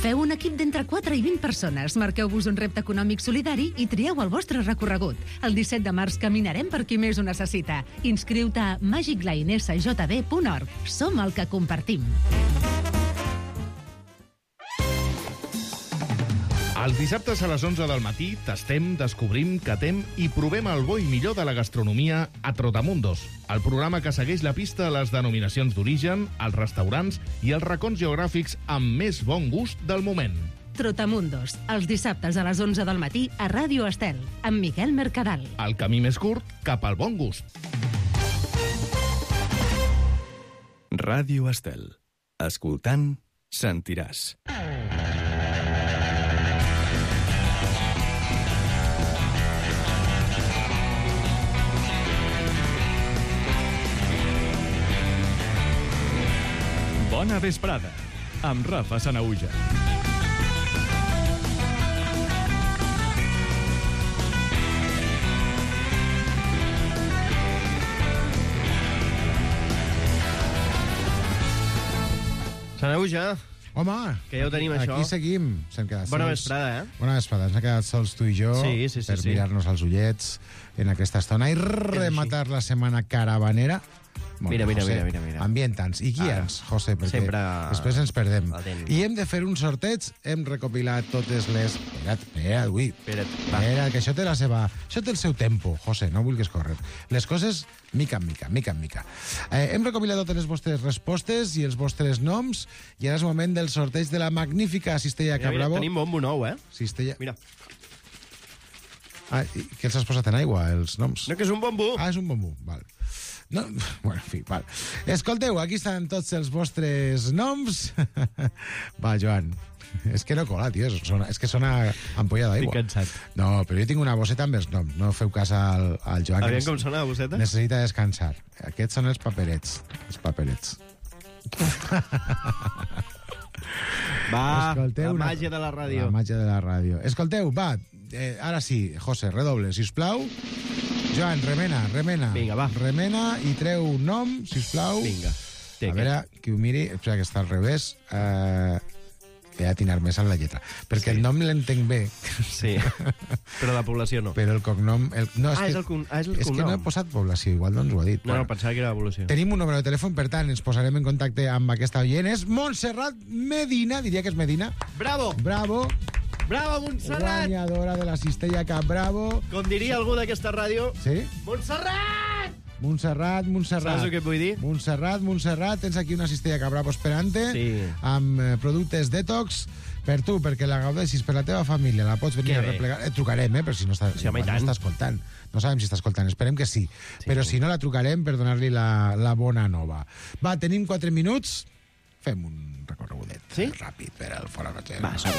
Feu un equip d'entre quatre i vint persones, marqueu-vos un repte econòmic solidari i trieu el vostre recorregut. El disset de març caminarem per qui més ho necessita. Inscriu-te a magic line s j d punt org. Som el que compartim. Els dissabtes a les onze del matí tastem, descobrim, catem i provem el bo i millor de la gastronomia a Trotamundos, el programa que segueix la pista a les denominacions d'origen, els restaurants i els racons geogràfics amb més bon gust del moment. Trotamundos, els dissabtes a les onze del matí a Ràdio Estel, amb Miquel Mercadal. El camí més curt cap al bon gust. Ràdio Estel. Escoltant, sentiràs. Bona vesprada, amb Rafa Sanaüja. Sanaüja. Home, que ja ho tenim, això. Aquí seguim. S'han quedat Bona sols. vesprada, eh? Bona vesprada. Ens hem quedat sols tu i jo Sí, sí, sí, per sí. mirar-nos als ullets en aquesta estona i rematar la setmana caravanera Mira, mira, José, mira, mira, mira. ambienta'ns i guia'ns, José, perquè Sempre després ens perdem. atent. I hem de fer un sorteig, hem recopilat totes les... Espera't, espera't, ui. Espera't, va. Espera, que això té la seva... Això té el seu tempo, José, no vulguis córrer. Les coses, mica en mica, mica en mica. Eh, hem recopilat totes les vostres respostes i els vostres noms, i ara és el moment del sorteig de la magnífica Cistella Mira, mira, Cabravo. tenim bombo nou, eh? Cistella... Mira. Ah, i què els has posat en aigua, els noms? No, que és un bombo. Ah, és un bombo, val. No, bueno, en fi, val. Escolteu, aquí estan tots els vostres noms. Va, Joan. És que no cola, tio. Sona, és que sona ampolla d'aigua. Estic cansat. No, però jo tinc una bosseta amb els noms. No feu cas al, al Joan. Aviam que com sona la bosseta. Necessita descansar. Aquests són els paperets. Els paperets. Va, Escolteu la una- màgia de la ràdio. La màgia de la ràdio. Escolteu, va, eh, ara sí, José, redoble, sisplau. Joan, remena, remena. Vinga, va. Remena i treu un nom, sisplau. Vinga. Té A veure, qui ho miri... Espera, que està al revés. Eh, he d'atinar més en la lletra. Perquè Sí. el nom l'entenc bé. Sí, però la població no. Però el cognom... El, no, Ah, que, és el con- ah, és el és que cognom. no he posat població, igual no ens ho ha dit. No, no, pensava que era evolució. Tenim un número de telèfon, per tant, ens posarem en contacte amb aquesta oient. És Montserrat Medina, diria que és Medina. Bravo! Bravo! Bravo, Montserrat! Guanyadora de la Cistella Cap Bravo. Com diria algú d'aquesta ràdio... Sí? Montserrat! Montserrat, Montserrat. Saps el que et vull dir? Montserrat, Montserrat, tens aquí una Cistella Cap Bravo esperant-te, Sí. amb eh, productes detox per tu, perquè la gaudeixis per la teva família, la pots venir Que a bé. replegar. Et trucarem, eh, però si no està, Sí, home, i igual no tant. està escoltant. No sabem si està escoltant, esperem que sí. sí però si no, la trucarem per donar-li la, la bona nova. Va, tenim quatre minuts, fem un recorregudet sí? ràpid per al Fora Cotxe. Va, som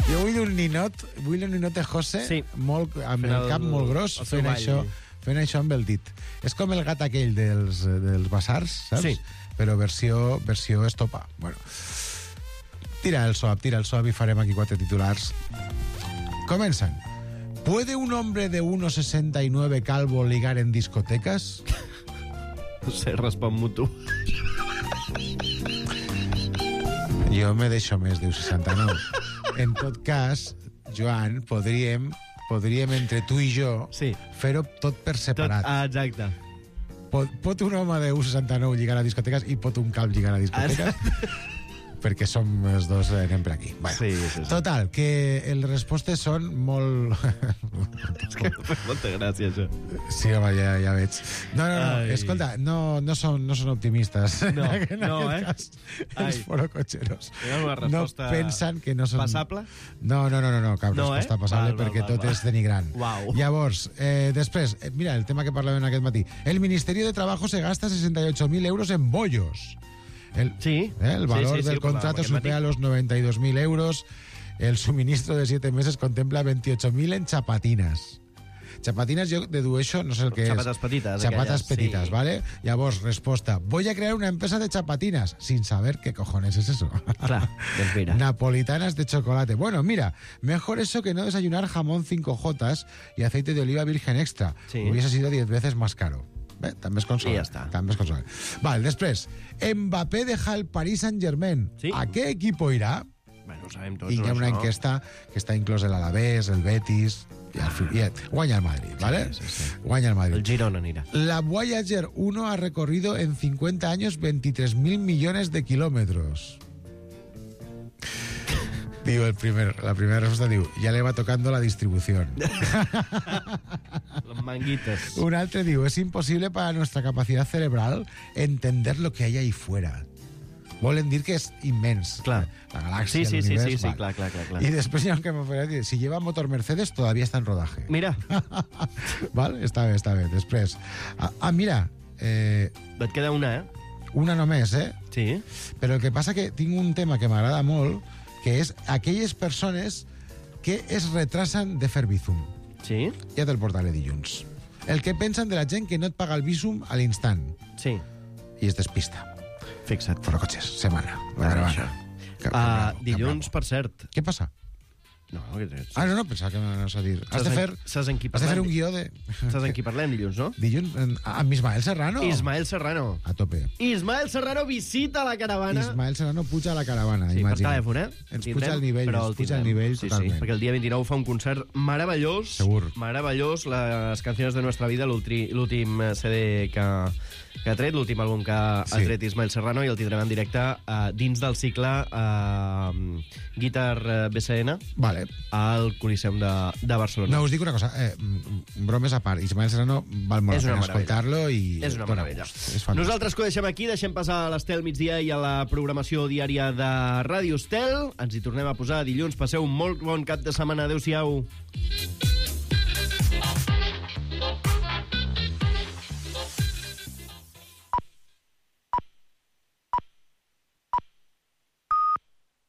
Jo vull un ninot, vull un ninot de José, Sí. molt, amb Fent el, el- cap molt gros, el seu fent ball. això, fent això amb el dit. És com el gat aquell dels, dels basars, saps? Sí. Però versió, versió estopa. Bueno. Tira el soap, tira el soap i farem aquí quatre titulars. Comencen. ¿Puede un hombre de uno sesenta y nueve calvo ligar en discotecas? No sé, respon-m'ho tu. Jo me deixo més de seixanta-nou. En tot cas, Joan, podríem, podríem entre tu i jo sí. fer-ho tot per separat. Tot, ah, exacte. Pot, pot un home de u seixanta-nou lligar a discoteques i pot un calb lligar a discoteques? Perquè som els dos, eh, anem per aquí. Bueno, Sí, sí, sí. total, que les respostes són molt... És que em fa molta gràcia, això. Sí, home, ja, ja veig. No, no, no, Ai. escolta, no, no, són, no són optimistes. No, en no, aquest eh? cas, Ai. els forocotxeros. Era una resposta no pensen que no són... passable? No, no, no, no, no cap No, resposta eh? passable, Val, val, perquè val, tot val. és denigrant. Uau. Llavors, eh, després, eh, mira, el tema que parlàvem aquest matí. El Ministerio de Trabajo se gasta sesenta y ocho mil euros en bollos. El, sí. eh, el valor Sí, sí, sí, del ho parlàvem contrato aquest supera matí. los noventa y dos mil euros. El suministro de siete meses contempla veintiocho mil en chapatinas. Chapatinas jo dedueixo, no sé el que Chapates és. petites, Chapates aquelles, petites, sí. ¿vale? Llavors, resposta. Voy a crear una empresa de chapatinas, sin saber qué cojones es eso. Clar, doncs mira. Napolitanas de chocolate. Bueno, mira, mejor eso que no desayunar jamón cinco jotas y aceite de oliva virgen extra. Sí. Hubiese sido diez veces más caro. Bé, també és consolant. I ja està. També és consolant. Vale, després, Mbappé deja el Paris Saint-Germain. Sí. ¿A qué equipo irá? Bueno, ho sabem tots, I hi ha no, una això. enquesta que està inclòs l'Alavés, el Betis... I al fin, i guanya el Madrid, ¿vale? Sí, sí, sí. Guanya el Madrid. El Girona anirà. La Voyager uno ha recorrido en cincuenta años veintitrés mil millones de kilómetros. Digo, el primer, la primera respuesta diu, ya le va tocando la distribución. Les manguites. Un altre diu, es imposible para nuestra capacidad cerebral entender lo que hay ahí fuera. Volen dir que és immens. Clar. La galàxia, Sí, sí, sí, l'univers... sí, sí, val. clar, clar, clar, clar. Y después ya que me fuera a decir, si lleva motor Mercedes, todavía está en rodaje. Mira. Val? Està bé, està bé. Després... Ah, ah mira... Eh, Et queda una, eh? una només, eh? Sí. Però el que passa que tinc un tema que m'agrada molt, que és aquelles persones que es retrasen de fer Bizum. Sí. Ja te'l portaré dilluns. El que pensen de la gent que no et paga el Bizum a l'instant. Sí. I es despista. Fixa't. Fora cotxes, setmana. La Ah, caravana. això. Cap- Uh, cap- dilluns, per cert. Què passa? No, que tens... Ah, no, no, pensava que m'anaves a dir. Has de fer, Saps en qui has de fer parlem? un guió de... Saps en qui parlem dilluns, no? Dilluns, en- amb Ismael Serrano. Ismael Serrano. A tope. Ismael Serrano visita la caravana. Ismael Serrano puja a la caravana, Sí, per imagina. telèfon, eh? Ens Tindrem, puja el nivell, però ens el puja el tindrem. nivell sí, totalment. Sí, perquè el dia vint-i-nou fa un concert meravellós. Segur. Meravellós, les canciones de nuestra vida, l'ultri- l'últim C D que, que ha tret, l'últim àlbum que ha Sí. tret Ismael Serrano, i el tindrem en directe uh, dins del cicle uh, Guitar uh, B C N Vale. al Coliseum de, de Barcelona. No, us dic una cosa, eh, mm, bromes a part, Ismael Serrano val molt És la una pena meravella. escoltar-lo i... És una dona meravella. gust. És fantàstic. Nosaltres que ho deixem aquí, deixem passar a l'Estel migdia i a la programació diària de Ràdio Estel. Ens hi tornem a posar dilluns. Passeu un molt bon cap de setmana. Adéu-siau.